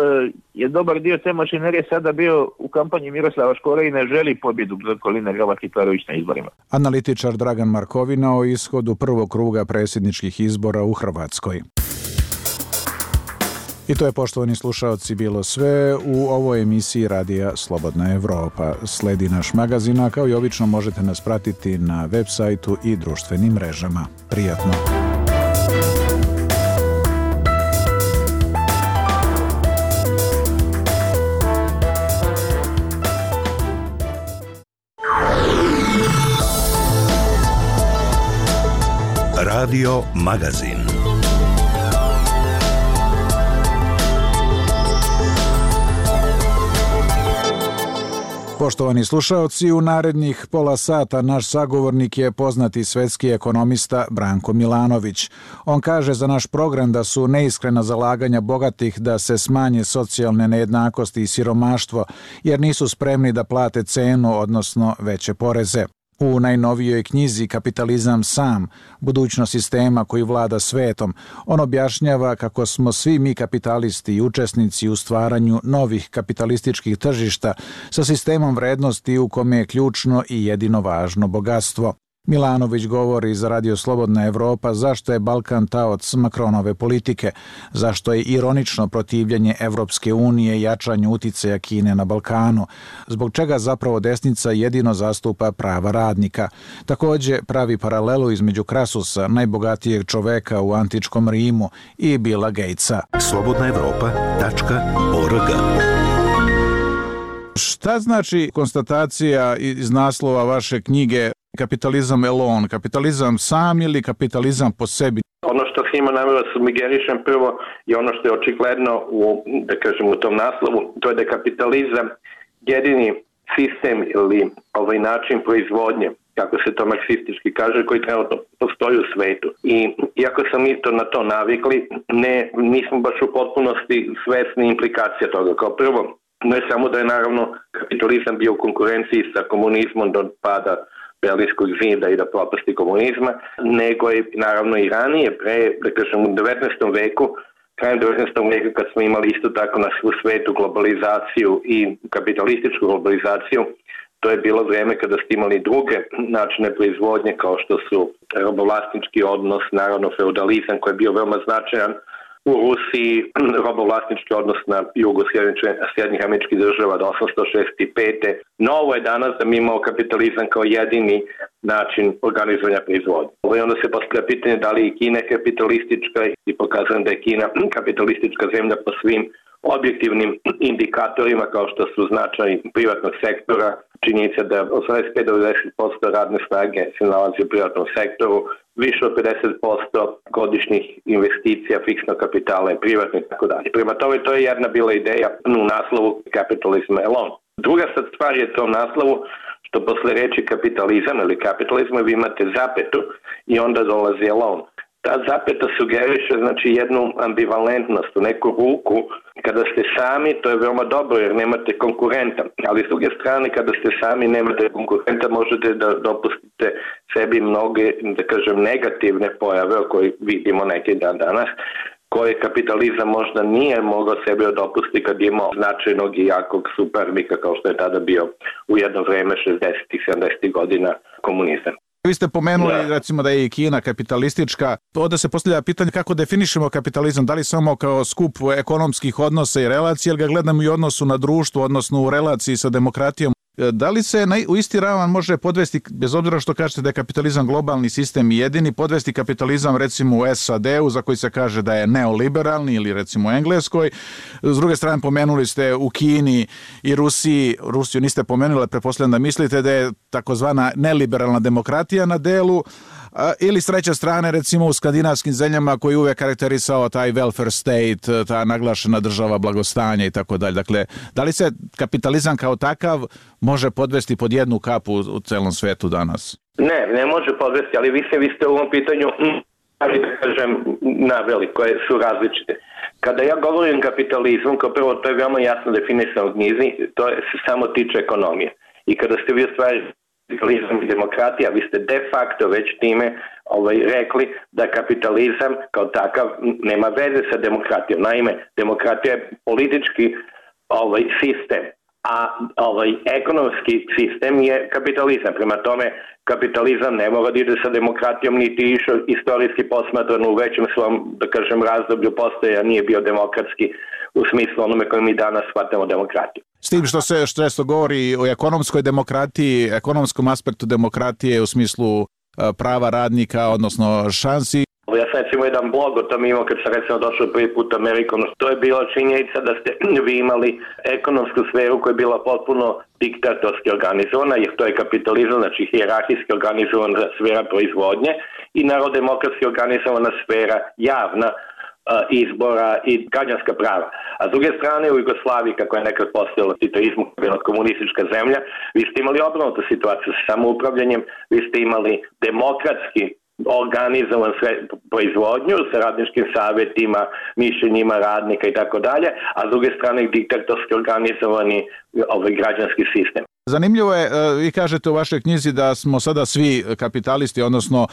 je dobar dio te mašinerije sada bio u kampanji Miroslava Škore i ne želi pobjedu Kolinde Grabar-Kitarović na izborima. Analitičar Dragan Markovina o ishodu prvog kruga predsjedničkih izbora u Hrvatskoj. I to je, poštovani slušaoci, bilo sve u ovoj emisiji Radija Slobodna Evropa. Sledi naš magazin, a kao i obično možete nas pratiti na web sajtu i društvenim mrežama. Prijatno! Radio Magazin. Poštovani slušaoci, u narednih pola sata naš sagovornik je poznati svetski ekonomista Branko Milanović. On kaže za naš program da su neiskrena zalaganja bogatih da se smanje socijalne nejednakosti i siromaštvo, jer nisu spremni da plate cenu, odnosno veće poreze. U najnovijoj knjizi Kapitalizam sam, budućnost sistema koji vlada svetom, on objašnjava kako smo svi mi kapitalisti i učesnici u stvaranju novih kapitalističkih tržišta sa sistemom vrednosti u kome je ključno i jedino važno bogatstvo. Milanović govori za Radio Slobodna Evropa zašto je Balkan taoc Makronove politike, zašto je ironično protivljenje Evropske unije jačanju uticaja Kine na Balkanu, zbog čega zapravo desnica jedino zastupa prava radnika. Također pravi paralelu između Krasusa, najbogatijeg čoveka u antičkom Rimu, i Billa Gatesa. slobodnaevropa.org. Šta znači konstatacija iz naslova vaše knjige Kapitalizam alone, kapitalizam sam ili kapitalizam po sebi? Ono što svima namjerno sugerišem prvo je ono što je očigledno u tom naslovu, to je da je kapitalizam jedini sistem ili način proizvodnje, kako se to marksistički kaže, koji trenutno postoji u svetu. I iako sam mi na to navikli, nismo baš u potpunosti svesni implikacija toga. Kao prvo, ne samo da je naravno kapitalizam bio u konkurenciji sa komunizmom do pada Berlinskog zida i da propasti komunizma, nego je naravno i ranije, u 19. veku, krajem 19. veka kad smo imali isto tako na svu svetu globalizaciju i kapitalističku globalizaciju, to je bilo vrijeme kada ste imali druge načine proizvodnje kao što su robovlasnički odnos, naravno feudalizam koji je bio veoma značajan u Rusiji, robovlasnički odnos na jugu Sjedinjenih Američkih Država do 1865. Novo je danas da mi imamo kapitalizam kao jedini način organizovanja proizvodnje. I onda se postavlja pitanje da li je Kina kapitalistička i pokazujem da je Kina kapitalistička zemlja po svim objektivnim indikatorima kao što su značaj privatnog sektora, činjenica da 85-90% radne snage se nalazi u privatnom sektoru, više od 50% godišnjih investicija, fiksnog kapitala je privatno i tako dalje. Prema tome, to je jedna bila ideja u naslovu Capitalism alone. Druga sad stvar je to u naslovu što posle reči kapitalizam ili kapitalizmu vi imate zapetu i onda dolazi alone. Ta zapeta sugeriše jednu ambivalentnost, u neku ruku. Kada ste sami, to je veoma dobro jer nemate konkurenta, ali s druge strane kada ste sami nemate konkurenta možete da dopustite sebi mnoge, negativne pojave o kojih vidimo neki dan danas, koje kapitalizam možda nije mogao sebe dopustiti kad je imao značajnog i jakog suparnika kao što je tada bio u jedno vreme 60-ih, 70-ih godina komunizam. Vi ste pomenuli recimo da je i Kina kapitalistička. Onda se postavlja pitanje kako definišemo kapitalizam, da li samo kao skup ekonomskih odnosa i relacija, ili ga gledamo i u odnosu na društvo, odnosno u relaciji sa demokratijom. Da li se u isti ravan može podvesti, bez obzira što kažete da je kapitalizam globalni sistem i jedini, podvesti kapitalizam recimo u SAD-u za koji se kaže da je neoliberalni ili recimo u Engleskoj. S druge strane pomenuli ste u Kini i Rusiji, Rusiju niste pomenuli, pretpostavljam da mislite da je takozvana neliberalna demokratija na delu, ili s treće strane recimo u skandinavskim zemljama koji uvek karakterisao taj welfare state, ta naglašena država blagostanja i tako dalje. Dakle, da li se kapitalizam kao takav može podvesti pod jednu kapu u celom svetu danas? Ne može podvesti, ali vi ste u ovom pitanju naveli koje su različite. Kada ja govorim kapitalizmu, kao prvo to je veoma jasno definisano u knjizi, to se samo tiče ekonomije. I kada ste vi ostvarili kapitalizam i demokratija, vi ste de facto već time rekli da kapitalizam kao takav nema veze sa demokratijom. Naime, demokratija je politički sistem a ekonomski sistem je kapitalizam. Prema tome, kapitalizam ne mora da ide sa demokratijom, niti išao istorijski posmatrano u većem svom, da kažem, razdoblju postoja, nije bio demokratski u smislu onome koje mi danas shvatamo demokratiju. S tim što se često govori o ekonomskoj demokratiji, ekonomskom aspektu demokratije u smislu prava radnika, odnosno šansi. Ja sam recimo jedan blog o tom imao kad sam recimo došao prvi put u Ameriku. To je bila činjenica da ste vi imali ekonomsku sferu koja je bila potpuno diktatorski organizovana, jer to je kapitalizam, znači hijerarhijski organizovana sfera proizvodnje i narodemokratski organizovana sfera javna izbora i građanska prava. A s druge strane u Jugoslaviji, kako je nekad postojalo titoizmu, bila komunistička zemlja, vi ste imali obrnutu situaciju sa samoupravljanjem, vi ste imali demokratski organizovan proizvodnju sa radničkim savjetima, mišljenjima radnika i tako dalje, a s druge strane diktatorski organizovani građanski sistem. Zanimljivo je, vi kažete u vašoj knjizi da smo sada svi kapitalisti, odnosno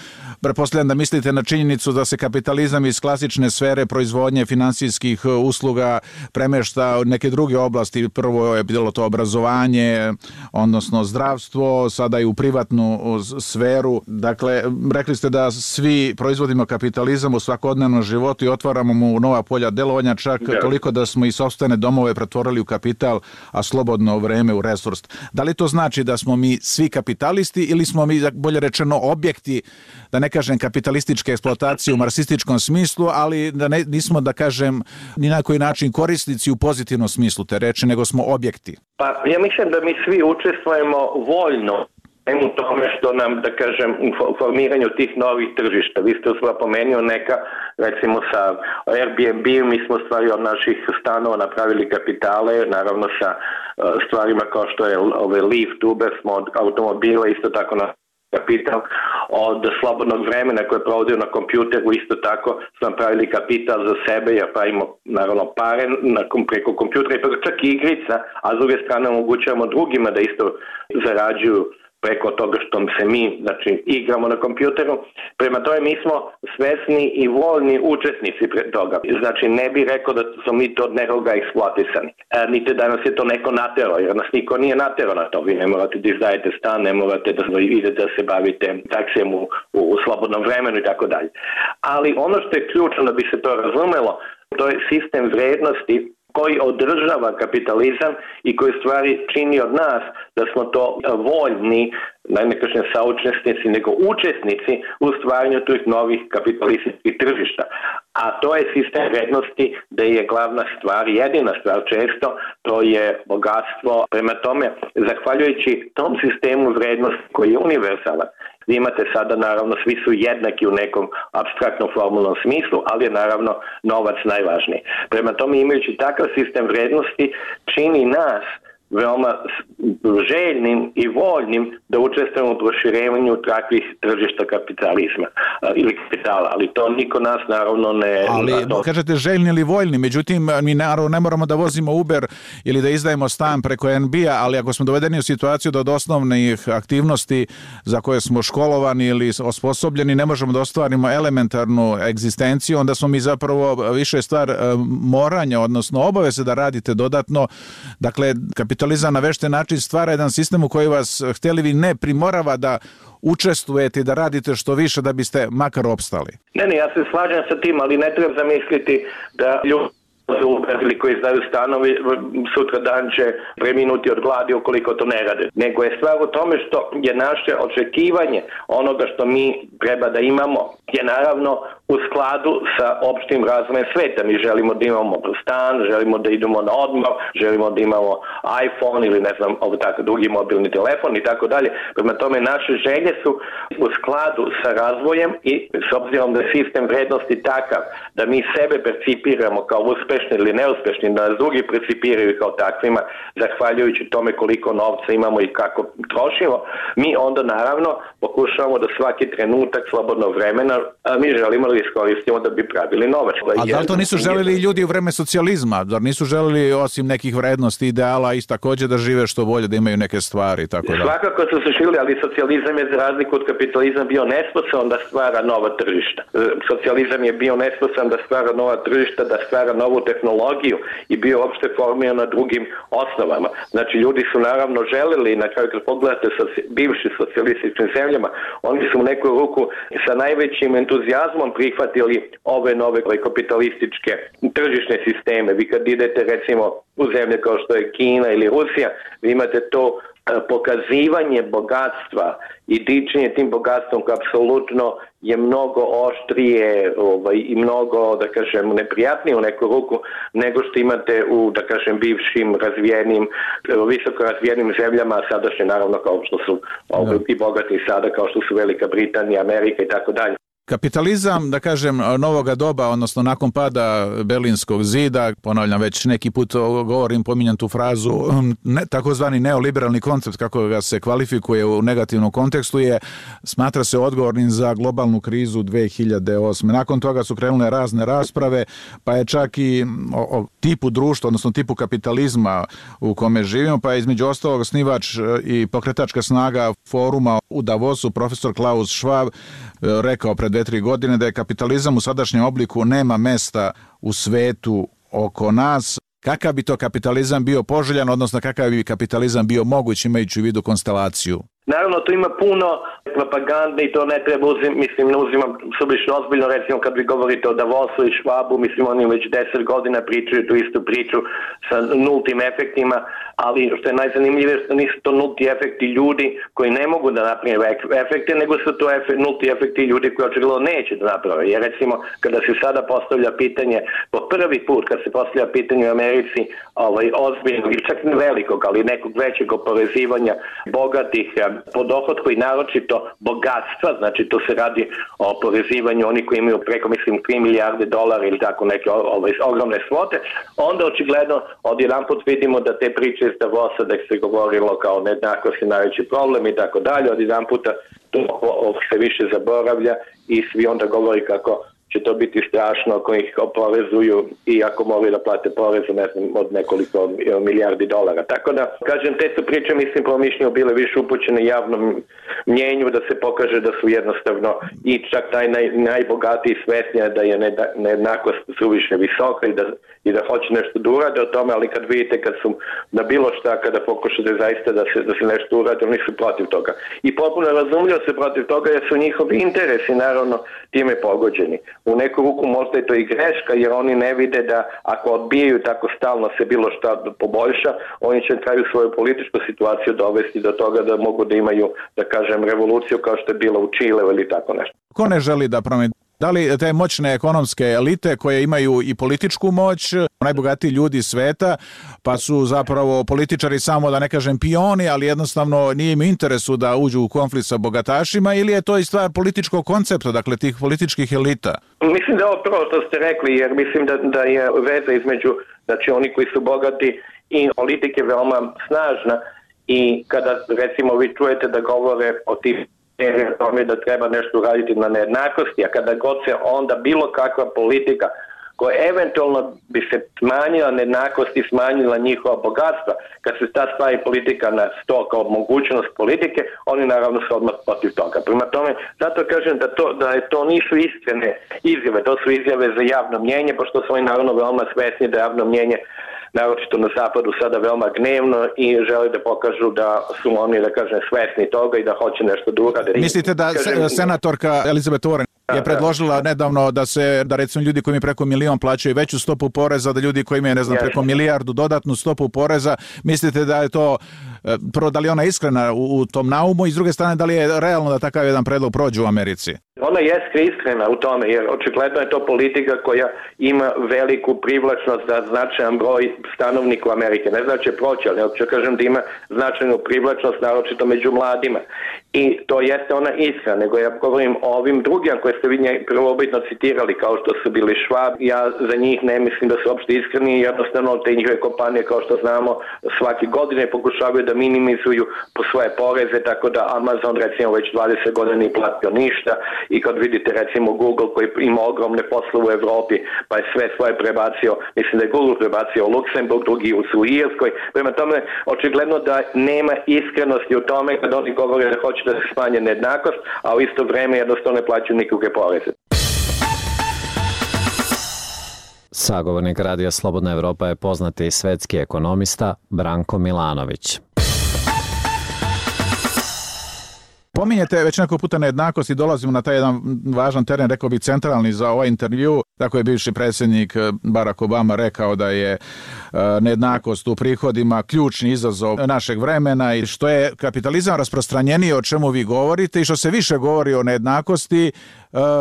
pretpostavljam da mislite na činjenicu da se kapitalizam iz klasične sfere proizvodnje finansijskih usluga premešta u neke druge oblasti. Prvo je bilo to obrazovanje, odnosno zdravstvo, sada i u privatnu sferu. Dakle, rekli ste da svi proizvodimo kapitalizam u svakodnevnom životu i otvaramo mu nova polja delovanja, čak toliko da smo i sopstvene domove pretvorili u kapital, a slobodno vreme u resurs. Da li to znači da smo mi svi kapitalisti ili smo mi, bolje rečeno, objekti, da ne kažem kapitalističke eksploatacije u marksističkom smislu, ali da nismo, da kažem, ni na koji način korisnici u pozitivnom smislu te reči, nego smo objekti? Pa ja mislim da mi svi učestvujemo voljno u tome što nam, da kažem, u formiranju tih novih tržišta. Vi ste spomenuo neka, recimo sa Airbnb, mi smo stvari od naših stanova napravili kapitale, naravno sa stvarima kao što je Lyft, Uber, smo od automobila isto tako na kapital, od slobodnog vremena koje provodio na kompjuteru isto tako smo napravili kapital za sebe, jer pravimo naravno pare preko kompjutera i čak i igrica, a s druge strane omogućavamo drugima da isto zarađuju preko toga što se mi, znači, igramo na kompjuteru. Prema tome mi smo svesni i voljni učesnici toga. Znači ne bih rekao da smo mi to od nekoga eksploatisani. Niti da nas je to neko naterao, jer nas niko nije naterao na to. Vi ne morate da izdajete stan, ne morate da idete da se bavite taksijem u slobodnom vremenu i tako dalje. Ali ono što je ključno da bi se to razumelo, to je sistem vrednosti koji održava kapitalizam i koji stvari čini od nas da smo to voljni, ne kažem saučesnici, nego učesnici u stvaranju tih novih kapitalističkih tržišta. A to je sistem vrednosti da je glavna stvar, jedina stvar često, to je bogatstvo. Prema tome, zahvaljujući tom sistemu vrednosti koji je univerzalan, vi imate sada, naravno, svi su jednaki u nekom apstraktnom formulnom smislu, ali je naravno novac najvažniji. Prema tome, imajući takav sistem vrednosti, čini nas veoma željnim i voljnim da učestvujemo u proširenju takvih tržišta kapitalizma ili kapitala, ali to niko nas naravno ne... Ali kažete željni ili voljni, međutim mi naravno ne moramo da vozimo Uber ili da izdajemo stan preko NBA, ali ako smo dovedeni u situaciju da od osnovnih aktivnosti za koje smo školovani ili osposobljeni ne možemo da ostvarimo elementarnu egzistenciju, onda smo mi zapravo više stvar moranja, odnosno obaveze da radite dodatno. Dakle, kapitalizam na vešten način stvara jedan sistem u koji vas, htjeli vi ne, primorava da učestvujete i da radite što više da biste makar opstali. Ne, ja se slažem sa tim, ali ne treba zamisliti da ljudi ili koji izdaju stanovi sutra dan će preminuti od gladi ukoliko to ne rade. Nego je stvar u tome što je naše očekivanje onoga što mi treba da imamo je naravno u skladu sa opštim razvojem sveta. Mi želimo da imamo stan, želimo da idemo na odmor, želimo da imamo iPhone ili ne znam, tako drugi mobilni telefon i tako dalje. Prema tome naše želje su u skladu sa razvojem i s obzirom da je sistem vrednosti takav da mi sebe percipiramo kao uspešni ili neuspešni, da nas drugi percipiraju kao takvima, zahvaljujući tome koliko novca imamo i kako trošimo, mi onda naravno pokušavamo da svaki trenutak slobodnog vremena, mi želimo da iskoristimo da bi pravili novac. A da li to nisu želeli ljudi u vreme socijalizma? Da nisu želeli osim nekih vrednosti, ideala i također da žive što bolje, da imaju neke stvari? Tako da. Svakako su se žili, ali socijalizam je za razliku od kapitalizma bio nesposoban da stvara nova tržišta. Socijalizam je bio nesposoban da stvara nova tržišta, da stvara novu tehnologiju i bio uopšte formiran na drugim osnovama. Znači, ljudi su naravno želeli, na kraju kad pogledate bivši socijalističkim zemljama, oni su u neku ruku sa najvećim entuzijazmom prihvatili ove nove kapitalističke tržišne sisteme. Vi kad idete recimo u zemlje kao što je Kina ili Rusija, vi imate to pokazivanje bogatstva i dičenje tim bogatstvom koje apsolutno je mnogo oštrije i mnogo, da kažem, neprijatnije u neku ruku nego što imate u, da kažem, bivšim razvijenim, visoko razvijenim zemljama, sadašnje naravno kao što su i bogati sada, kao što su Velika Britanija, Amerika i tako dalje. Kapitalizam, da kažem, novoga doba, odnosno nakon pada Berlinskog zida, ponavljam već neki put govorim, pominjam tu frazu, takozvani neoliberalni koncept, kako ga se kvalifikuje u negativnom kontekstu, smatra se odgovornim za globalnu krizu 2008. Nakon toga su krenule razne rasprave, pa je čak i o tipu društva, odnosno tipu kapitalizma u kome živimo, pa je između ostalog osnivač i pokretačka snaga foruma u Davosu, profesor Klaus Schwab, rekao pred 2-3 godine da je kapitalizam u sadašnjem obliku nema mesta u svetu oko nas. Kakav bi to kapitalizam bio poželjan, odnosno kakav bi kapitalizam bio moguć imajući u vidu konstelaciju? Naravno, tu ima puno propagande i to ne treba ne uzimam sublično ozbiljno, recimo kad vi govorite o Davosu i Schwabu, mislim oni već 10 godina pričaju tu istu priču sa nultim efektima, ali što je najzanimljivije što nisu to nulti efekti ljudi koji ne mogu da naprave efekte, nego su to nulti efekti ljudi koji očigledno neće da naprave. Jer recimo kada se sada postavlja pitanje, po prvi put kad se postavlja pitanje u Americi ozbiljnog, čak ne velikog, ali nekog većeg oporezivanja bogatih po dohodku i naročito bogatstva, znači to se radi o oporezivanju oni koji imaju preko, mislim, $3 milijarde ili tako neke ogromne svote, onda očigledno odjedanput vidimo da te priče iz Davosa da se govorilo kao nejednakost je najveći problem i tako dalje, odjedanputa to se više zaboravlja i svi onda govori kako će to biti strašno ako ih oporezuju i ako moraju da plate porez od nekoliko milijardi dolara. Tako da, kažem, te su priče, mislim, po mišljenju bile više upućene javnom mnjenju da se pokaže da su jednostavno i čak taj najbogatiji svesnija da je nejednakost suviše visoka i da hoće nešto da urade o tome, ali kad vidite kad su na bilo šta, kada pokušate zaista da se nešto urade, oni su protiv toga. I potpuno razumljivo se protiv toga jer su njihovi interesi naravno time pogođeni. U neku ruku možda je to i greška jer oni ne vide da ako odbijaju tako stalno se bilo šta poboljša, oni će na kraju svoju političku situaciju dovesti do toga da mogu da imaju, da kažem, revoluciju kao što je bila u Čileu ili tako nešto. Ko ne želi da promeni? Da li te moćne ekonomske elite koje imaju i političku moć, najbogatiji ljudi sveta, pa su zapravo političari samo, da ne kažem, pioni, ali jednostavno nije im interesu da uđu u konflikt sa bogatašima, ili je to i stvar političkog koncepta, dakle tih političkih elita? Mislim da je ovo prvo što ste rekli, jer mislim da je veza između, znači oni koji su bogati i politike veoma snažna i kada recimo vi čujete da govore o tim tome da treba nešto uraditi na nejednakosti, a kada god se onda bilo kakva politika koja eventualno bi se smanjila nejednakost i smanjila njihova bogatstva, kad se ta stavi politika na sto kao mogućnost politike, oni naravno su odmah protiv toga. Prema tome, zato kažem da to nisu iskrene izjave, to su izjave za javno mnjenje, pošto su oni naravno veoma svesni da javno mnjenje naročito na zapadu sada veoma gnevno i žele da pokažu da su oni, da kažem, svesni toga i da hoće nešto da urade. Mislite da senatorka Elizabeth Warren je predložila nedavno da recimo ljudi koji imaju preko 1 milion plaćaju veću stopu poreza, da ljudi koji imaju, ne znam, preko 1 milijardu dodatnu stopu poreza, mislite da je to, prvo, da li ona iskrena u tom naumu i s druge strane da li je realno da takav jedan predlog prođe u Americi? Ona jeste iskrena u tome, jer očigledno je to politika koja ima veliku privlačnost za značajan broj stanovnika Amerike. Ne znači proći, ali hoću kažem da ima značajnu privlačnost, naročito među mladima. I to jeste ona iskra, nego ja govorim o ovim drugim koje ste vi prvobitno citirali, kao što su bili Schwab. Ja za njih ne mislim da su uopšte iskreni, jednostavno te njihove kompanije, kao što znamo, svake godine pokušavaju da minimizuju po svoje poreze, tako da Amazon recimo već 20 godina nije platio ništa i kad vidite recimo Google koji ima ogromne poslove u Evropi, pa je sve svoje prebacio, mislim da je Google prebacio u Luksemburg, drugi u Irskoj. Prema tome, očigledno da nema iskrenosti u tome kad oni govore da hoće da se smanje nejednakost, a u isto vreme jednostavno ne plaćaju nikakve poreze. Sagovornik Radija Slobodna Evropa je poznati svetski ekonomista Branko Milanović. Pominjete već neko puta nejednakost i dolazimo na taj jedan važan teren, rekao bih centralni za ovaj intervju. Tako je bivši predsjednik Barack Obama rekao da je nejednakost u prihodima ključni izazov našeg vremena i što je kapitalizam rasprostranjeniji, o čemu vi govorite, i što se više govori o nejednakosti,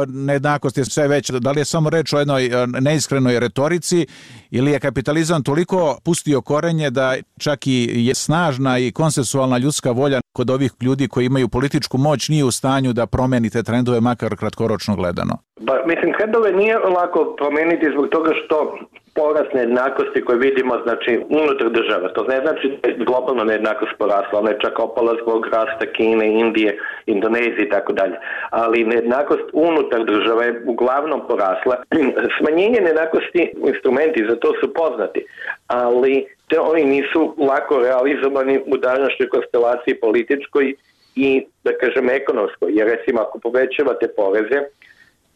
nejednakost je sve veća. Da li je samo reč o jednoj neiskrenoj retorici ili je kapitalizam toliko pustio korenje da čak i je snažna i konsensualna ljudska volja kod ovih ljudi koji imaju političku moć nije u stanju da promeni te trendove, makar kratkoročno gledano? Mislim, trendove nije lako promeniti zbog toga što porast nejednakosti koje vidimo, znači, unutar država. To ne znači da je globalna nejednakost porasla, ona je čak opala zbog rasta Kine, Indije, Indonezije i tako dalje. Ali nejednakost unutar država je uglavnom porasla. Smanjenje nejednakosti, instrumenti za to su poznati, ali oni nisu lako realizovani u današnjoj konstelaciji političkoj i, da kažem, ekonomskoj. Jer recimo, ako povećavate poreze,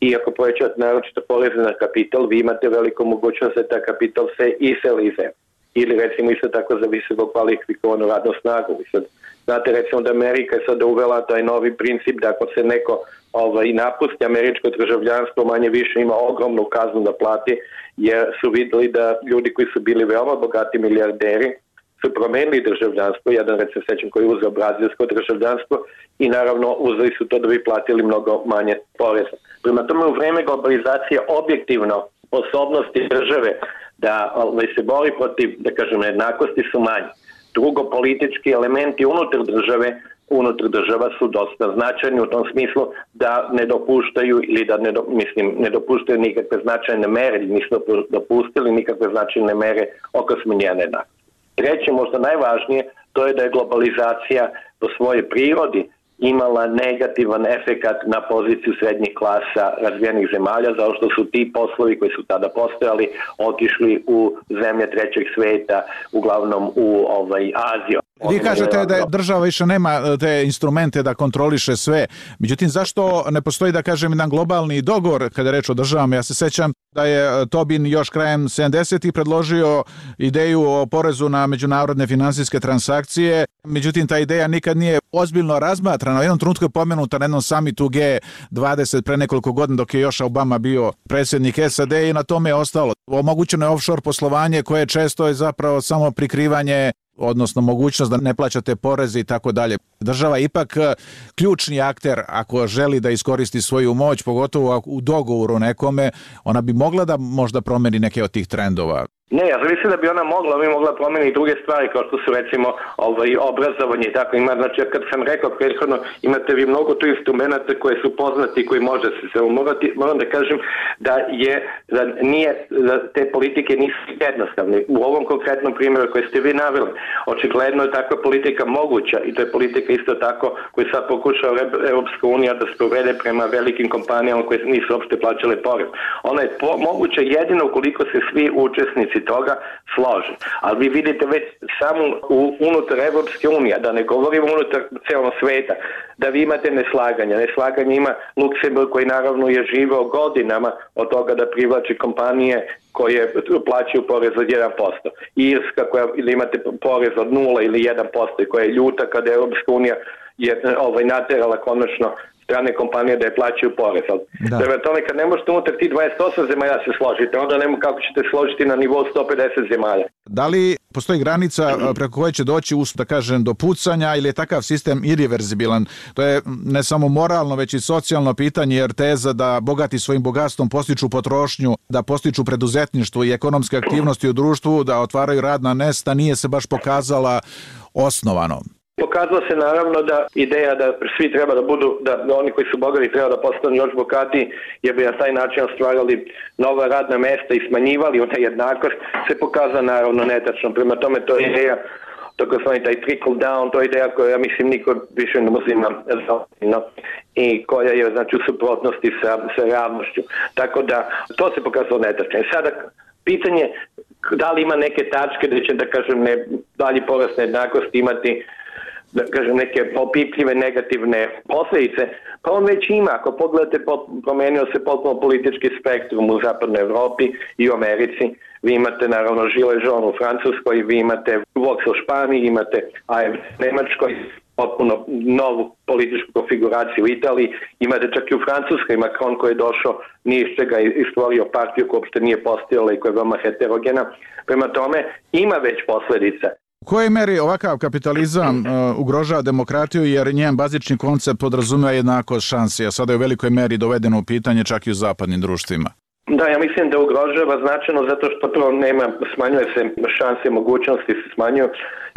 i ako povećavate naročito poreze na kapital, vi imate veliku mogućnost da ta kapital se iseli iz zemlje. Ili recimo isto tako za visoko kvalifikovanu radnu snagu. Znate recimo da Amerika je sada uvela taj novi princip da ako se neko napusti američko državljanstvo, manje više ima ogromnu kaznu da plati, jer su vidjeli da ljudi koji su bili veoma bogati milijarderi su promenili državljanstvo, jedan recimo sećam koji je uzeo brazilsko državljanstvo i naravno uzeli su to da bi platili mnogo manje poreza. Prema tome, u vreme globalizacije objektivno sposobnosti države da se bori protiv, da kažem, nejednakosti su manji. Drugo, politički elementi unutar država su dosta značajni u tom smislu da ne dopuštaju ili da ne dopuštaju nikakve značajne mere, nisu dopustili nikakve značajne mere oko smanjenja nejednakosti. Treće, možda najvažnije, to je da je globalizacija po svojoj prirodi imala negativan efekat na poziciju srednjih klasa razvijenih zemalja, zato što su ti poslovi koji su tada postojali otišli u zemlje trećeg sveta, uglavnom u Aziju. Vi kažete da država više nema te instrumente da kontroliše sve. Međutim, zašto ne postoji, da kažem, jedan globalni dogovor kada je reč o državama? Ja se sećam da je Tobin još krajem 70-ih predložio ideju o porezu na međunarodne finansijske transakcije. Međutim, ta ideja nikad nije ozbiljno razmatrana. U jednom trenutku je pomenuta na jednom samitu G20 pre nekoliko godina dok je još Obama bio predsjednik SAD i na tome je ostalo. Omogućeno je offshore poslovanje koje često je zapravo samo prikrivanje, odnosno mogućnost da ne plaćate poreze i tako dalje. Država je ipak ključni akter ako želi da iskoristi svoju moć, pogotovo u dogovoru nekome, ona bi mogla da možda promeni neke od tih trendova. Ne, ja mislim da bi ona mogla promeniti druge stvari kao što su recimo obrazovanje i tako. Znači, kad sam rekao prethodno, imate vi mnogo tu instrumenta koje su poznati i koji može se moram da kažem da te politike nisu jednostavne. U ovom konkretnom primjeru koje ste vi naveli, očigledno je takva politika moguća i to je politika isto tako koju sad pokušava Europska unija da sprovede prema velikim kompanijama koje nisu uopšte plaćale porez. Ona je moguća jedino ukoliko se svi učesnici toga slože. Ali vi vidite već samo unutar Evropske unije, da ne govorimo unutar celog sveta, da vi imate neslaganja. Neslaganje ima Luksemburg koji naravno je živeo godinama od toga da privlači kompanije koje plaćaju porez od 1%. Irska koja imate porez od 0 ili 1% i koja je ljuta kada Evropska unija je naterala konačno strane kompanije da je plaćaju porez. Prema tome, kad ne možete unutar ti 28 zemalja se složite, onda nema kako ćete složiti na nivou 150 zemalja. Da li postoji granica preko koje će doći da kažem do pucanja ili je takav sistem irreverzibilan? To je ne samo moralno, već i socijalno pitanje, jer teza da bogati svojim bogatstvom postiču potrošnju, da postiču preduzetništvo i ekonomske aktivnosti u društvu, da otvaraju radna mesta, nije se baš pokazala osnovanom. Pokazalo se naravno da ideja da svi treba da budu, da oni koji su bogati treba da postanu još bogatiji, jer bi na taj način stvarali nova radna mesta i smanjivali ona jednakost, se pokazala naravno netačno. Prema tome to je ideja, taj trickle down, to je ideja koja ja mislim niko više ne uzima zaozbiljno i koja je znači u suprotnosti sa realnošću. Tako da to se pokazalo netačno. Sada pitanje da li ima neke tačke da će, da kažem, dalji porast nejednakosti imati, da kažem, neke opipljive negativne posljedice, pa on već ima. Ako pogledate, promenio se potpuno politički spektrum u zapadnoj Evropi i u Americi. Vi imate naravno Gilets jaunes u Francuskoj, vi imate Vox u Španiji, imate AfD u Nemačkoj, potpuno novu političku konfiguraciju u Italiji, imate čak i u Francuskoj Macron koji je došao nije iz čega i stvorio partiju koja uopšte nije postojala i koja je veoma heterogena. Prema tome ima već posljedica. U kojoj meri ovakav kapitalizam ugrožava demokratiju, jer njen bazični koncept podrazumeva jednakost šansi, a sada je u velikoj meri dovedeno u pitanje čak i u zapadnim društvima? Da, ja mislim da ugrožava značajno zato što prvo smanjuje se šanse, mogućnosti se smanjuju.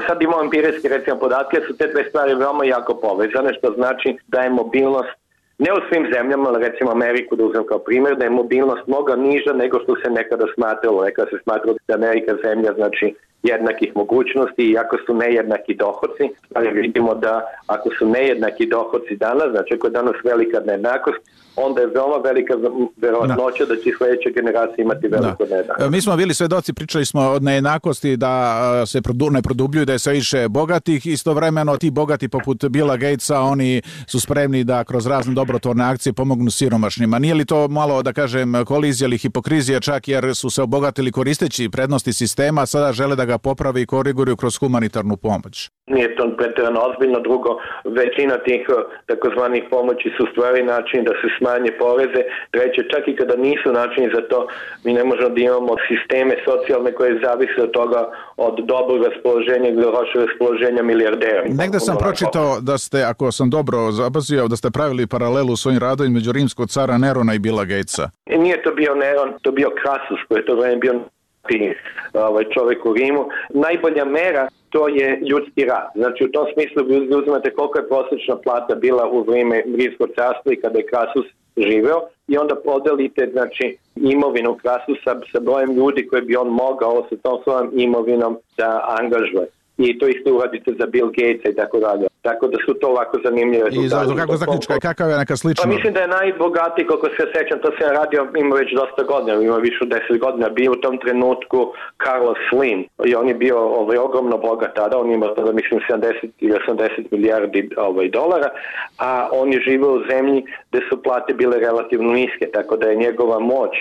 Sad imamo empirijski recimo podatke, su te dve stvari veoma jako povezane, što znači da je mobilnost, ne u svim zemljama, ali recimo Ameriku da uzmem kao primjer, da je mobilnost mnogo niža nego što se nekada smatralo. Nekada se smatralo da je Amerika zemlja, znači jednakih mogućnosti, i ako su nejednaki dohodci, ali vidimo da ako su nejednaki dohodci danas, znači ako je danas velika nejednakost, onda je veoma velika verovatnoća da će sljedeća generacija imati veliku nejednakost. Mi smo bili svedoci, pričali smo od nejednakosti da se ne produbljuju, da je sve više bogatih, istovremeno ti bogati poput Billa Gatesa, oni su spremni da kroz razne dobrotvorne akcije pomognu siromašnima. Nije li to malo, da kažem, kolizija ili hipokrizija čak, jer su se obogatili koristeći prednosti sistema, a sada žele da ga popravi i koriguju kroz humanitarnu pomoć? Nije to pretjerano ozbiljno. Drugo, većina tih takozvanih pomoći su stvari način da se smanje poreze. Treće, čak i kada nisu načini za to, mi ne možemo da imamo sisteme socijalne koje zavise od toga, od dobrog raspoloženja ili lošeg raspoloženja milijardera. Negde sam pročitao da ste, ako sam dobro zapazio, da ste pravili paralelu u svojim radovima među rimskog cara Nerona i Billa Gatesa. Nije to bio Neron, to bio Krasus, koji je to vreme bio čovjek u Rimu. Najbolja mera to je ljudski rad. Znači u tom smislu vi uzmete koliko je prosječna plata bila u vrijeme Rimskog carstva i kada je Krasus živeo i onda podelite znači imovinu Krasusa sa brojem ljudi koje bi on mogao sa tom svojom imovinom da angažuje. I to isto uradite za Bill Gatesa i tako dalje. Tako da su to ovako zanimljive rezultate. I kako zaključka, kakav je neka slična? Pa mislim da je najbogatiji, koliko se sjećam, to sam radio, ima već dosta godina, ima više od 10 godina, bio u tom trenutku Carlos Slim. I on je bio ogromno bogat tada, on ima tada mislim 70 ili 80 milijardi dolara, a on je živio u zemlji gde su plate bile relativno niske, tako da je njegova moć,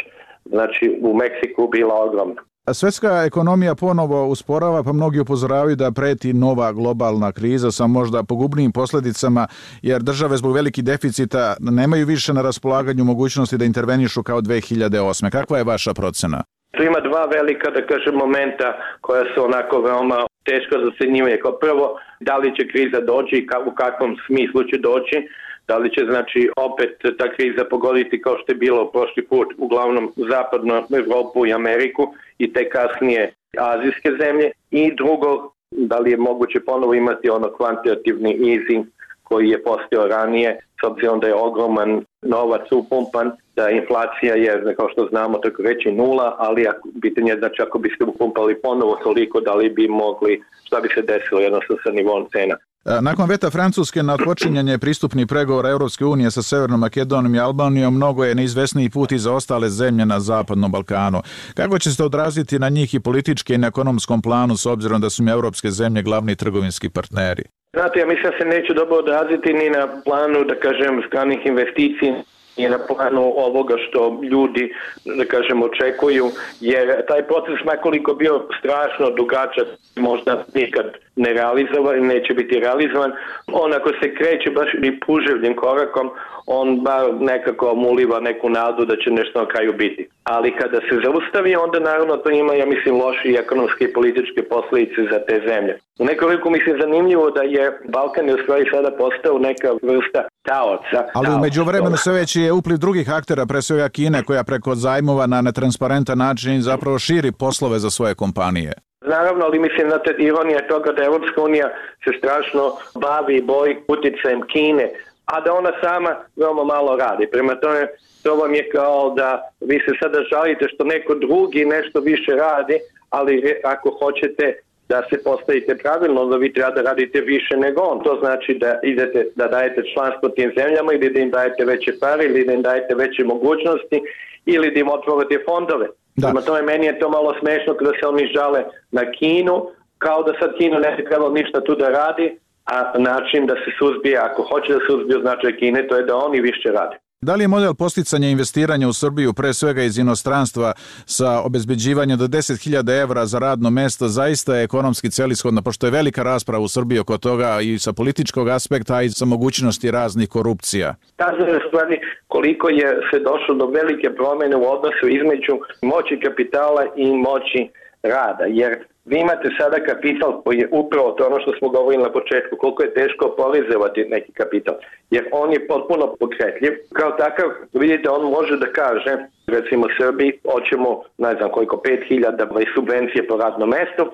znači u Meksiku bila ogromna. Svetska ekonomija ponovo usporava, pa mnogi upozoravaju da preti nova globalna kriza sa možda pogubnijim posljedicama, jer države zbog velikih deficita nemaju više na raspolaganju mogućnosti da intervenišu kao 2008. Kakva je vaša procena? Tu ima dva velika, da kažem, momenta koja su onako veoma teško za ocenjivanje. Kao prvo, da li će kriza doći i u kakvom smislu će doći. Da li će, znači, opet ta kriza pogoditi kao što je bilo prošli put, uglavnom zapadnu Evropu i Ameriku i te kasnije azijske zemlje. I drugo, da li je moguće ponovo imati ono kvantitativni easing koji je postojao ranije, s obzirom da je ogroman novac upumpan, da inflacija je, kao što znamo, tako reći nula, ali pitanje je, znači, ako biste upumpali ponovo toliko, da li bi mogli, šta bi se desilo jednostavno sa nivom cena. Nakon veta Francuske na odpočinjanje pristupnih pregovora Europske unije sa Severnom Makedonijom i Albanijom, mnogo je neizvesniji put i za ostale zemlje na Zapadnom Balkanu. Kako će se odraziti na njih i politički i na ekonomskom planu, s obzirom da su im europske zemlje glavni trgovinski partneri? Znate, ja mislim da se neće dobro odraziti ni na planu, da kažem, stranih investicija, i na planu ovoga što ljudi, da kažem, očekuju, jer taj proces makoliko bio strašno dugačak, možda nikad ne realizovan, neće biti realizovan. On ako se kreće baš i puževljim korakom, on bar nekako uliva neku nadu da će nešto na kraju biti. Ali kada se zaustavi, onda naravno to ima, ja mislim, loši ekonomske i političke posljedice za te zemlje. U nekoliko mislim zanimljivo da je Balkan u stvari sada postao neka vrsta taoca. Ali u međuvremenu sve veći je upliv drugih aktera, pre svega Kine, koja preko zajmova na netransparentan način zapravo širi poslove za svoje kompanije. Naravno, ali mislim da ironija toga da Europska unija se strašno bavi i boji uticajem Kine, a da ona sama veoma malo radi. Prema tome, to vam je kao da vi se sada žalite što neko drugi nešto više radi, ali ako hoćete da se postavite pravilno, da vi treba da radite više nego on. To znači da idete da dajete članstvo tim zemljama ili da im dajete veće pare ili da im dajete veće mogućnosti ili da im otvorite fondove. Prema tome, meni je to malo smešno kada se oni žale na Kinu, kao da sad Kina ne bi trebalo ništa tu da radi, a način da se suzbije, ako hoće da se suzbije značaj Kine, to je da oni više rade. Da li je model posticanja investiranja u Srbiju, pre svega iz inostranstva, sa obezbeđivanjem do 10.000 evra za radno mesto, zaista je ekonomski celishodno, pošto je velika rasprava u Srbiji oko toga i sa političkog aspekta, a i sa mogućnosti raznih korupcija? Kazuje stvari koliko je se došlo do velike promjene u odnosu između moći kapitala i moći rada, jer vi imate sada kapital koji je upravo to ono što smo govorili na početku, koliko je teško oporezovati neki kapital, jer on je potpuno pokretljiv. Kao takav, vidite, on može da kaže, recimo Srbiji, hoćemo, ne znam koliko, 5.000 subvencije po radnom mestu,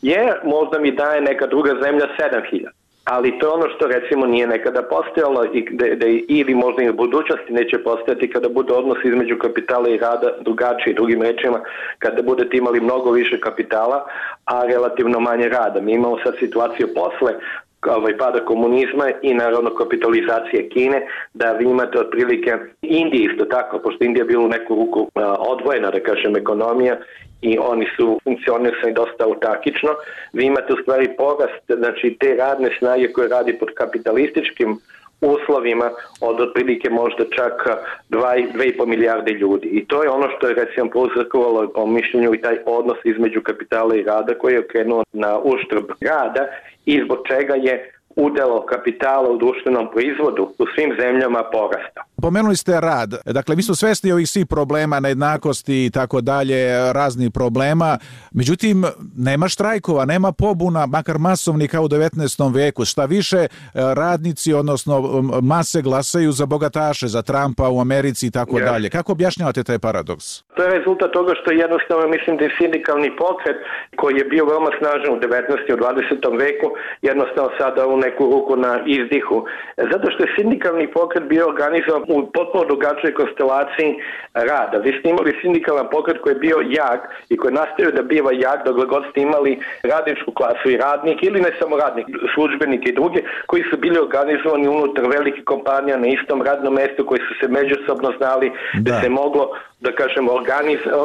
jer možda mi daje neka druga zemlja 7.000. Ali to je ono što recimo nije nekada postojalo ili možda i u budućnosti neće postojati kada bude odnos između kapitala i rada drugačiji. Drugim rečima, kada budete imali mnogo više kapitala, a relativno manje rada. Mi imamo sad situaciju posle pada komunizma i naravno kapitalizacije Kine, da vi imate otprilike Indije isto tako, pošto Indija je bila u neku ruku odvojena, da kažem, ekonomija i oni su funkcionisali dosta autarkično. Vi imate u stvari porast, znači te radne snage koje radi pod kapitalističkim uslovima od otprilike možda čak 2,5 milijarde ljudi. I to je ono što je recimo prouzrokovalo po mišljenju i taj odnos između kapitala i rada koji je okrenuo na uštrb rada i zbog čega je udjel kapitala u društvenom proizvodu u svim zemljama porasta. Pomenuli ste rad. Dakle, mi smo svesni ovih svih problema, nejednakosti i tako dalje, raznih problema. Međutim, nema štrajkova, nema pobuna, makar masovni kao u 19. veku. Šta više, radnici, odnosno mase glasaju za bogataše, za Trumpa u Americi i tako dalje. Kako objašnjavate taj paradoks? To je rezultat toga što jednostavno mislim da je sindikalni pokret koji je bio veoma snažan u 19. i u 20. veku jednostavno sada u neku ruku na izdihu. Zato što je sindikalni pokret bio organizovan u potpuno drugačijoj konstelaciji rada. Vi ste imali sindikalan pokret koji je bio jak i koji nastavio da biva jak dok god ste imali radničku klasu i radnik ili ne samo radnik, službenike i druge koji su bili organizovani unutar velikih kompanija na istom radnom mestu koji su se međusobno znali da se moglo, da kažemo,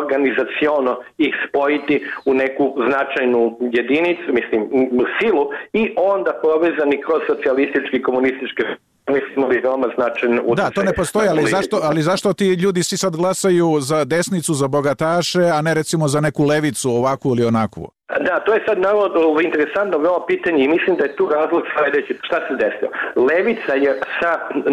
organizaciono ih spojiti u neku značajnu jedinicu, mislim, silu i onda povezani kroz socijalistički i komunističke Da, to ne postoji, ali zašto ti ljudi svi sad glasaju za desnicu, za bogataše, a ne recimo za neku levicu, ovakvu ili onakvu? Da, to je sad naravno interesantno veoma pitanje i mislim da je tu razlog sljedeći. Šta se desilo? Levica je sa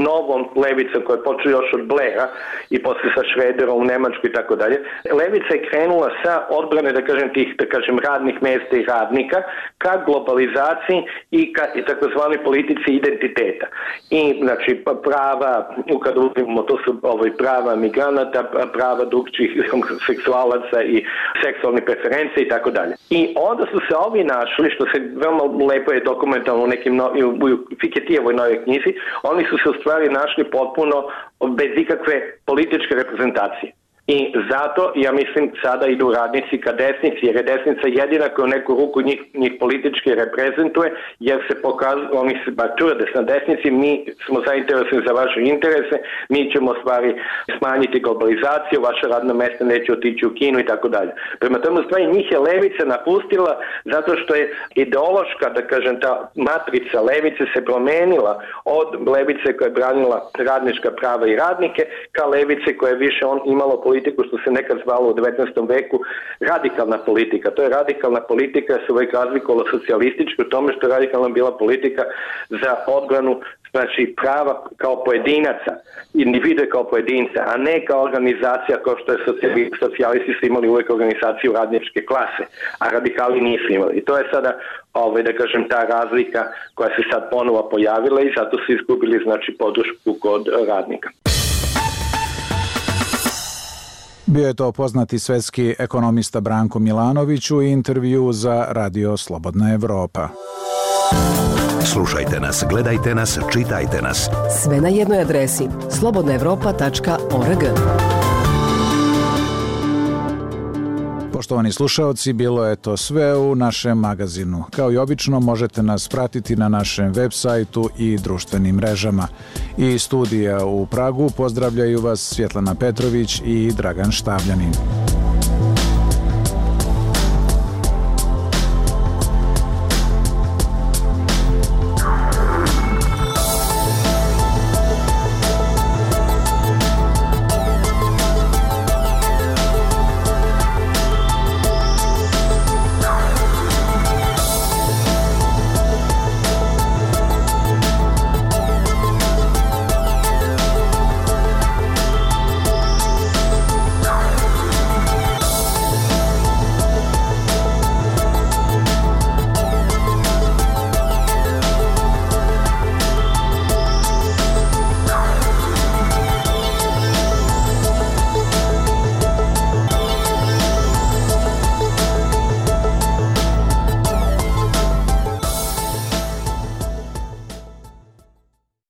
novom levicom koja je počela još od Blaira i posle sa Schröderom u Nemačkoj i tako dalje. Levica je krenula sa odbrane, da kažem, tih, da kažem, radnih mjesta i radnika ka globalizaciji i ka takozvanoj politici identiteta. I znači prava, kada uzmemo, to su prava migranata, prava drugčijih seksualaca i seksualne preferencije i tako dalje. I onda su se ovi našli, što se veoma lepo je dokumentalno u nekim u Fiketijevoj novoj knjizi, oni su se u stvari našli potpuno bez ikakve političke reprezentacije. I zato, ja mislim, sada idu radnici ka desnici, jer je desnica jedina koja u neku ruku njih politički reprezentuje, jer se pokazuju, oni se tvrde na desnici, mi smo zainteresovani za vaše interese, mi ćemo stvari smanjiti globalizaciju, vaša radna mjesta neće otići u Kinu i tako dalje. Prema tome, stvari, njih je levica napustila zato što je ideološka, da kažem, ta matrica levice se promenila od levice koja je branila radnička prava i radnike ka levice koja je više imalo politiku što se nekad zvalo u 19. veku radikalna politika. To je radikalna politika se uvijek razlikovala socijalistički u tome što je radikalna bila politika za odbranu, znači prava kao pojedinaca, individue kao pojedinca, a ne kao organizacija kao što je socijalisti su imali uvijek organizaciju radničke klase, a radikali nisu imali. I to je sada, da kažem, ta razlika koja se sad ponovo pojavila i zato su izgubili, znači, podršku kod radnika. Bio je to poznati svetski ekonomista Branko Milanović u intervju za Radio Slobodna Evropa. Slušajte nas, gledajte nas, čitajte nas. Sve na jednoj adresi slobodnaevropa.org. Poštovani slušaoci, bilo je to sve u našem magazinu. Kao i obično, možete nas pratiti na našem web sajtu i društvenim mrežama. I studija u Pragu pozdravljaju vas Svjetlana Petrović i Dragan Štavljanin.